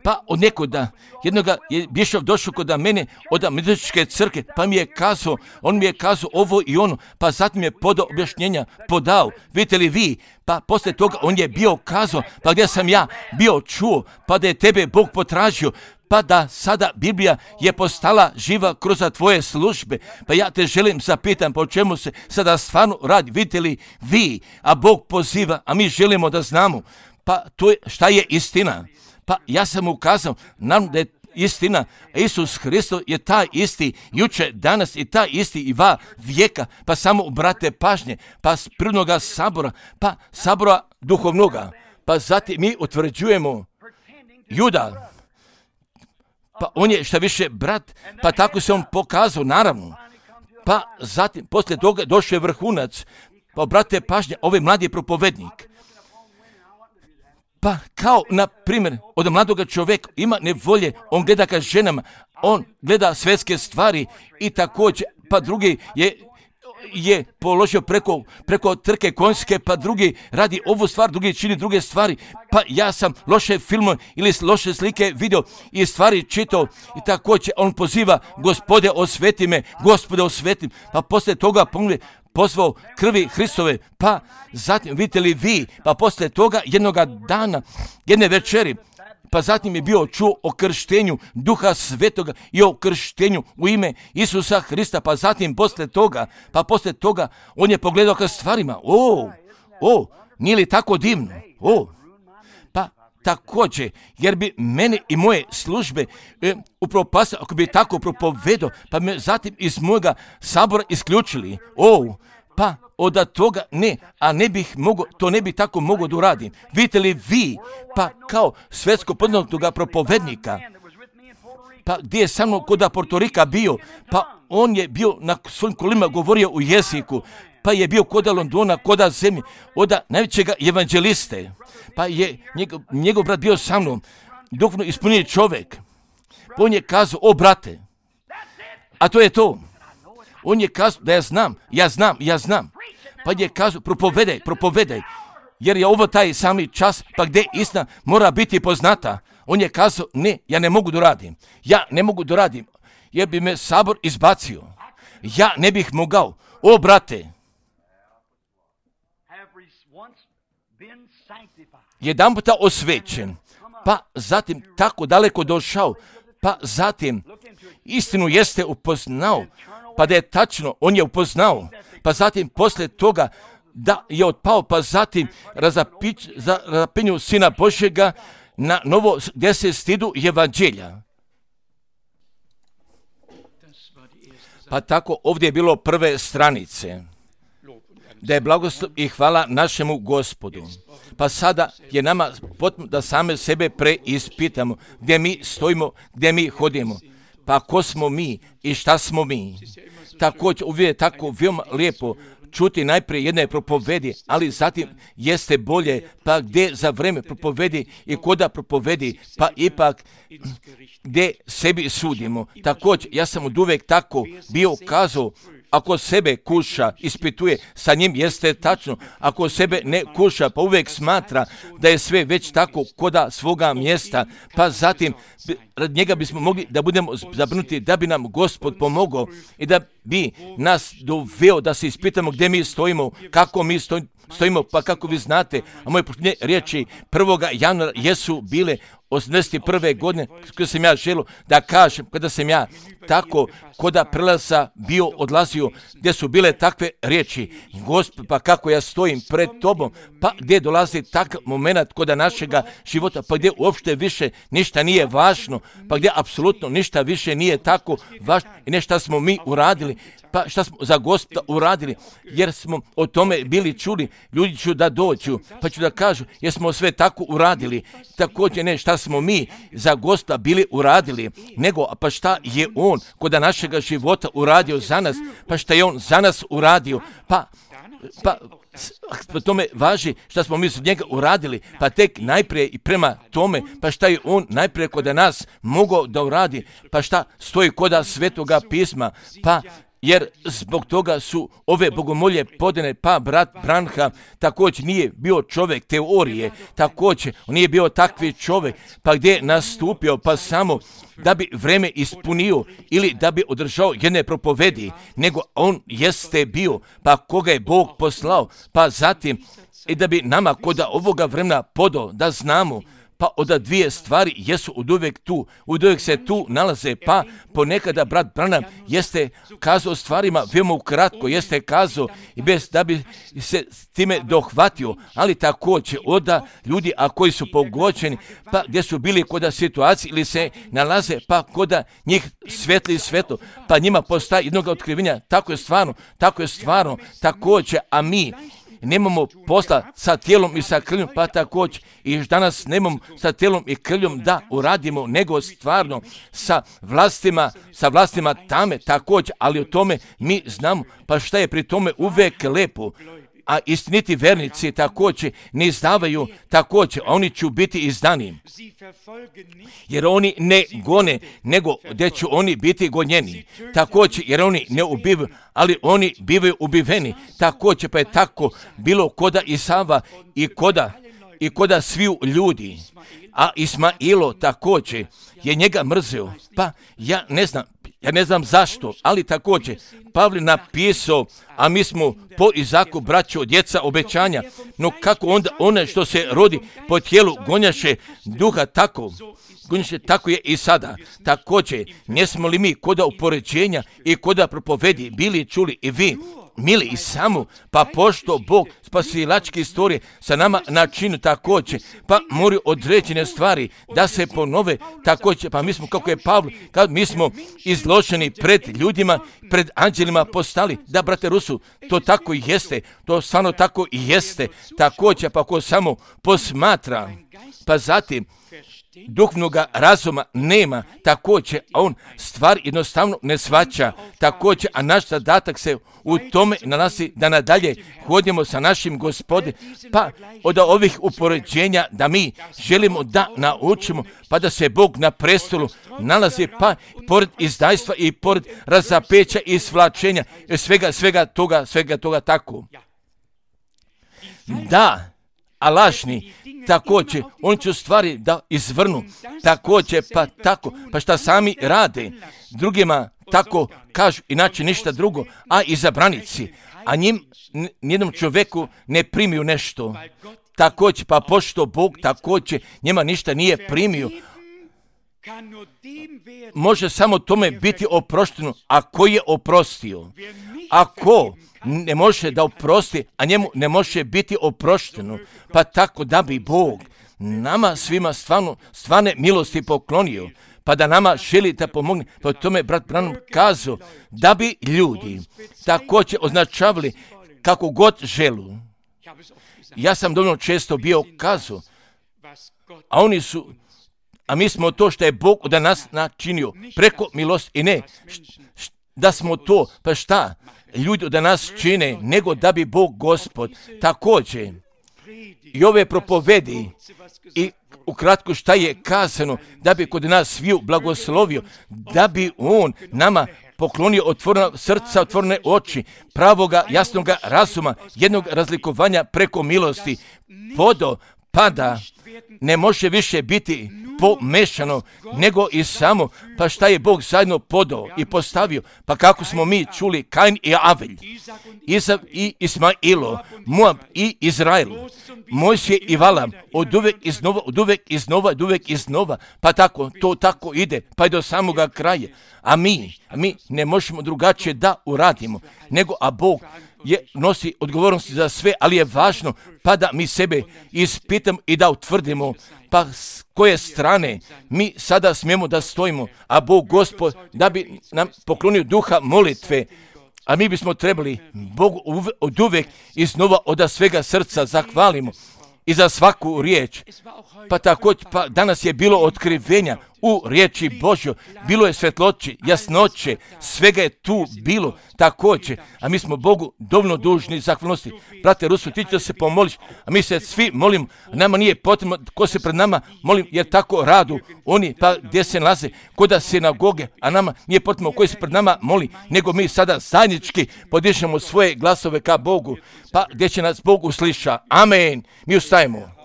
Pa od nekoda, jednoga je Bišov došao kod mene od metodističke crkve, pa mi je kazao, on mi je kazao ovo i ono, pa zatim je podao objašnjenja, podao, vidite li vi, pa poslije toga on je bio kazao, pa gdje sam ja bio čuo, pa da je tebe Bog potražio, pa da sada Biblija je postala živa kroz tvoje službe, pa ja te želim zapitam po čemu se sada stvarno radi, vidite li vi, a Bog poziva, a mi želimo da znamo, pa to je, šta je istina. Pa ja sam ukazao nam da je istina, Isus Hristos je taj isti juče, danas i taj isti i va vijeka, pa samo obrate pažnje, pa s prirodnoga sabora, pa sabora duhovnoga, pa zatim mi utvrđujemo Juda, pa on je šta više brat, pa tako se on pokazao, naravno, pa zatim poslije toga došao je vrhunac, pa obrate pažnje, ovaj mladi propovednik. Pa kao, na primjer, od mladoga čovjeka ima nevolje, on gleda ka ženama, on gleda svjetske stvari i također, pa drugi je, je položio preko, preko trke konjske, pa drugi radi ovu stvar, drugi čini druge stvari, pa ja sam loše filmove ili loše slike vidio i stvari čitao i također on poziva, Gospode osveti me, Gospode osveti, pa poslije toga pogled, pozvao krvi Hristove, pa zatim vidite li vi, pa poslije toga jednoga dana, jedne večeri, pa zatim je bio čuo o krštenju Duha Svetoga i o krštenju u ime Isusa Hrista, pa zatim poslije toga, pa poslije toga on je pogledao ka stvarima, o, o, nije li tako divno, o, pa također, jer bi mene i moje službe e, upropastili, ako bi tako propovedao, pa me zatim iz mojega sabora isključili. O, pa od toga ne, a ne bih mogao, to ne bi tako mogao da uradim. Vidite li vi, pa kao svetsko poznatog propovednika, pa gdje je sa mnom kod Portorika bio, pa on je bio na svojim kolima govorio u jeziku, pa je bio kod Londona, kod zemlje, od najvećega evanđeliste, pa je njegov, njegov brat bio sa mnom, duhovno ispunjen čovjek. Pa on je kazao, o brate, a to je to. On je kazao da ja znam, ja znam, ja znam. Pa je kazao, propovedaj, propovedaj, jer je ovo taj sami čas, pa gdje istina mora biti poznata. On je kazao, ne, ja ne mogu da radim, ja ne mogu da radim, jer bi me sabor izbacio. Ja ne bih mogao, o brate, jedan puta osvećen, pa zatim tako daleko došao, pa zatim istinu jeste upoznao, pa da je tačno, on je upoznao, pa zatim poslije toga da je otpao, pa zatim razapić, za razapinju Sina Božjega na novo gdje se stidu evanđelja. Pa tako ovdje je bilo prve stranice, da je blagoslov i hvala našemu Gospodu. Pa sada je nama potrebno da same sebe preispitamo, gdje mi stojimo, gdje mi hodimo, pa ko smo mi i šta smo mi. Također uvijek je tako veoma lijepo čuti najprije jedne propovedi, ali zatim jeste bolje, pa gdje za vreme propovedi i koda propovedi, pa ipak gdje sebi sudimo. Također, ja sam od uvijek tako bio kazao, ako sebe kuša, ispituje, sa njim jeste tačno. Ako sebe ne kuša, pa uvijek smatra da je sve već tako koda svoga mjesta, pa zatim rad njega bismo mogli da budemo zabrinuti, da bi nam Gospod pomogao i da bi nas doveo da se ispitamo gdje mi stojimo, kako mi stojimo, stojimo pa kako vi znate, a moje posljednje riječi prvoga januara jesu bile osamdeset prve godine, kada sam ja želio da kažem, kada sam ja tako koda prelaza bio odlazio, gdje su bile takve riječi, Gospod, pa kako ja stojim pred tobom, pa gdje dolazi takav moment koda našega života, pa gdje uopšte više ništa nije važno, pa gdje apsolutno ništa više nije tako važno i ne šta smo mi uradili, pa šta smo za Gospoda uradili, jer smo o tome bili čuli, ljudi ću da dođu, pa ću da kažu, jer smo sve tako uradili, također ne šta smo mi za Gospoda bili uradili, nego pa šta je On kod našega života uradio za nas, pa šta je On za nas uradio, pa, pa po tome važi šta smo mi za njega uradili, pa tek najprije i prema tome, pa šta je On najprije kod nas mogao da uradi, pa šta stoji kod Svetoga pisma, pa jer zbog toga su ove bogomolje podane, pa brat Branham također nije bio čovjek teorije, također on nije bio takvi čovjek, pa gdje je nastupio, pa samo da bi vreme ispunio ili da bi održao jedne propovedi, nego on jeste bio, pa koga je Bog poslao, pa zatim i da bi nama kod ovoga vremena podao da znamo, pa od dvije stvari jesu od uvijek tu, od uvijek se tu nalaze, pa ponekada brat Branham jeste kazao stvarima veoma ukratko, jeste kazao i bez da bi se s time dohvatio, ali također od ljudi a koji su pogođeni, pa gdje su bili kod situacije ili se nalaze, pa kod njih svetli i svetlo, pa njima postaje jednog otkrivenja, tako je stvarno, tako je stvarno, također, a mi nemamo posla sa tijelom i sa krvljom, pa također i danas nemamo sa tijelom i krvljom da uradimo, nego stvarno sa vlastima, sa vlastima tame također, ali o tome mi znamo, pa šta je pri tome uvijek lepo, a istiniti vernici također ne izdavaju također, oni će biti izdani, jer oni ne gone, nego gdje će oni biti gonjeni, također jer oni ne ubivaju, ali oni bivaju ubiveni, također pa je tako bilo koda Isava i koda, i koda sviju ljudi, a Ismailo također je njega mrzeo, pa ja ne znam, ja ne znam zašto, ali također Pavle napisao a mi smo po Izaku, braćo, djeca obećanja. No kako onda one što se rodi po tijelu gonjaše duha tako, gonjaše tako je i sada. Također, ne smo li mi koda upoređenja i koda propovedi bili čuli i vi, mili i samo, pa pošto Bog spasilačke istorije sa nama načinu također, pa moraju određene stvari da se ponove također, pa mi smo, kako je Pavlo, kad mi smo izloženi pred ljudima, pred anđelima postali, da, brate Rusu, to tako i jeste, to stvarno tako i jeste, također, pa ko samo posmatra, pa zatim, duhovnoga razuma nema, također, a on stvar jednostavno ne shvaća, također, a naš zadatak se u tome nalazi da nadalje hodimo sa našim Gospodom, pa od ovih upoređenja da mi želimo da naučimo, pa da se Bog na prestolu nalazi, pa pored izdajstva i pored razapeća i svlačenja, svega, svega toga, svega toga tako. Da, a lažni, također, oni će stvari da izvrnu, također, pa tako, pa šta sami rade, drugima tako kažu, inače ništa drugo, a izabranici, a njim, nijednom čovjeku ne primiju nešto, također, pa pošto Bog također njema ništa nije primio, može samo tome biti oprošteno, a ko je oprostio, ako ne može da oprosti, a njemu ne može biti oprošteno, pa tako da bi Bog nama svima stvarno, stvarne milosti poklonio, pa da nama želi da pomogne, pa tome brat Branham kazao, da bi ljudi također označavali kako god želu. Ja sam dovoljno često bio kazao, a oni su, a mi smo to što je Bog od nas načinio, preko milosti i ne, da smo to, pa šta ljudi od nas čine, nego da bi Bog Gospod također i ove propovedi i ukratko šta je kazano, da bi kod nas sviju blagoslovio, da bi On nama poklonio otvorena srca, otvorene oči, pravoga, jasnoga razuma, jednog razlikovanja preko milosti, podo, pada, ne može više biti pomešano, nego i samo, pa šta je Bog zajedno podao i postavio, pa kako smo mi čuli, Kain i Avelj, Izav i Ismailo, Moab i Izrael, Mojsije i Valam, od uvek iznova, od uvek iznova, od uvek iznova, pa tako, to tako ide, pa i do samoga kraja, a mi, a mi ne možemo drugačije da uradimo, nego, a Bog je nosi odgovornosti za sve, ali je važno pa da mi sebe ispitamo i da utvrdimo pa s koje strane mi sada smijemo da stojimo, a Bog Gospod da bi nam poklonio duha molitve, a mi bismo trebali Bogu od uvek iznova od svega srca zahvalimo i za svaku riječ. Pa također, pa danas je bilo otkrivenja u riječi Božjoj, bilo je svetloće, jasnoće, svega je tu bilo također, a mi smo Bogu dovoljno dužni zahvalnosti. Brate Rusu, ti će se pomoliš, a mi se svi molimo, nama nije potrebno ko se pred nama molim, jer tako radu oni, pa gdje se nalaze, koda sinagoge, a nama nije potrebno koji se pred nama moli, nego mi sada zajednički podižemo svoje glasove ka Bogu, pa gdje će nas Bog usliša. Amen. Mi ustajemo.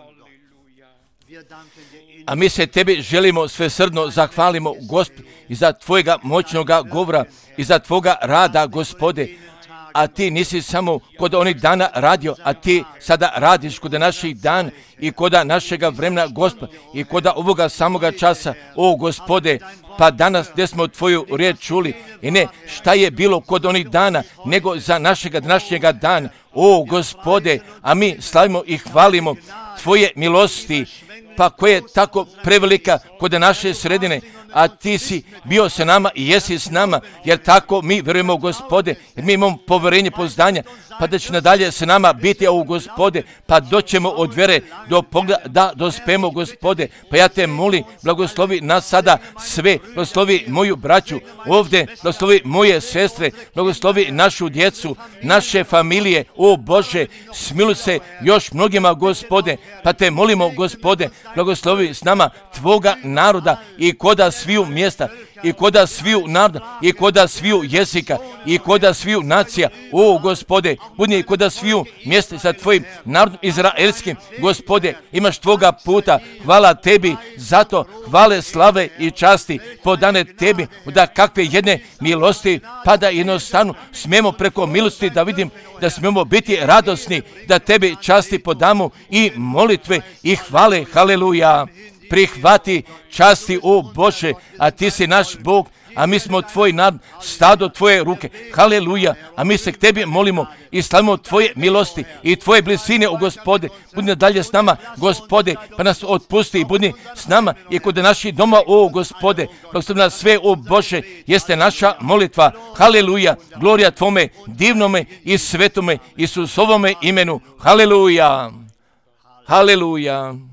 A mi se tebi želimo svesrdno zahvalimo, Gospod, i za tvojega moćnoga govora i za tvoga rada, Gospode. A ti nisi samo kod onih dana radio, a ti sada radiš kod naših dana i kod našega vremena, Gospod, i kod ovoga samoga časa, o Gospode. Pa danas gdje smo tvoju riječ čuli i ne šta je bilo kod onih dana, nego za našega današnjega dana, o Gospode, a mi slavimo i hvalimo tvoje milosti, pa koja je tako prevelika kod naše sredine, a ti si bio sa nama i jesi s nama, jer tako mi vjerujemo, Gospode, jer mi imamo poverenje, poznanja, pa da će nadalje sa nama biti, o Gospode, pa doćemo od vjere do pogleda, da dospemo, Gospode, pa ja te molim, blagoslovi nas sada sve, blagoslovi moju braću ovdje, blagoslovi moje sestre, blagoslovi našu djecu, naše familije, o Bože, smiluj se još mnogima, Gospode, pa te molimo, Gospode, blagoslovi s nama tvoga naroda i koda sviju mjesta i koda sviju naroda, i koda sviju jezika, i koda sviju nacija. O, Gospode, budi i koda sviju mjesta sa tvojim narodom izraelskim. Gospode, imaš tvoga puta. Hvala tebi, zato hvale, slave i časti podane tebi, da kakve jedne milosti, pa da jednostavno smijemo preko milosti da vidim, da smijemo biti radosni, da tebi časti podamo i molitve i hvale. Haleluja. Prihvati časti, o Bože, a ti si naš Bog, a mi smo tvoj narod, stado tvoje ruke. Haleluja. A mi se k tebi molimo i slavimo tvoje milosti i tvoje blizine, o Gospode. Budi dalje s nama, Gospode, pa nas otpusti i budi s nama i kod naših doma, o Gospode. Blagoslovi nas sve, o Bože, jeste naša molitva. Haleluja. Glorija tvome divnome i svetome Isusovome imenu. Haleluja. Haleluja.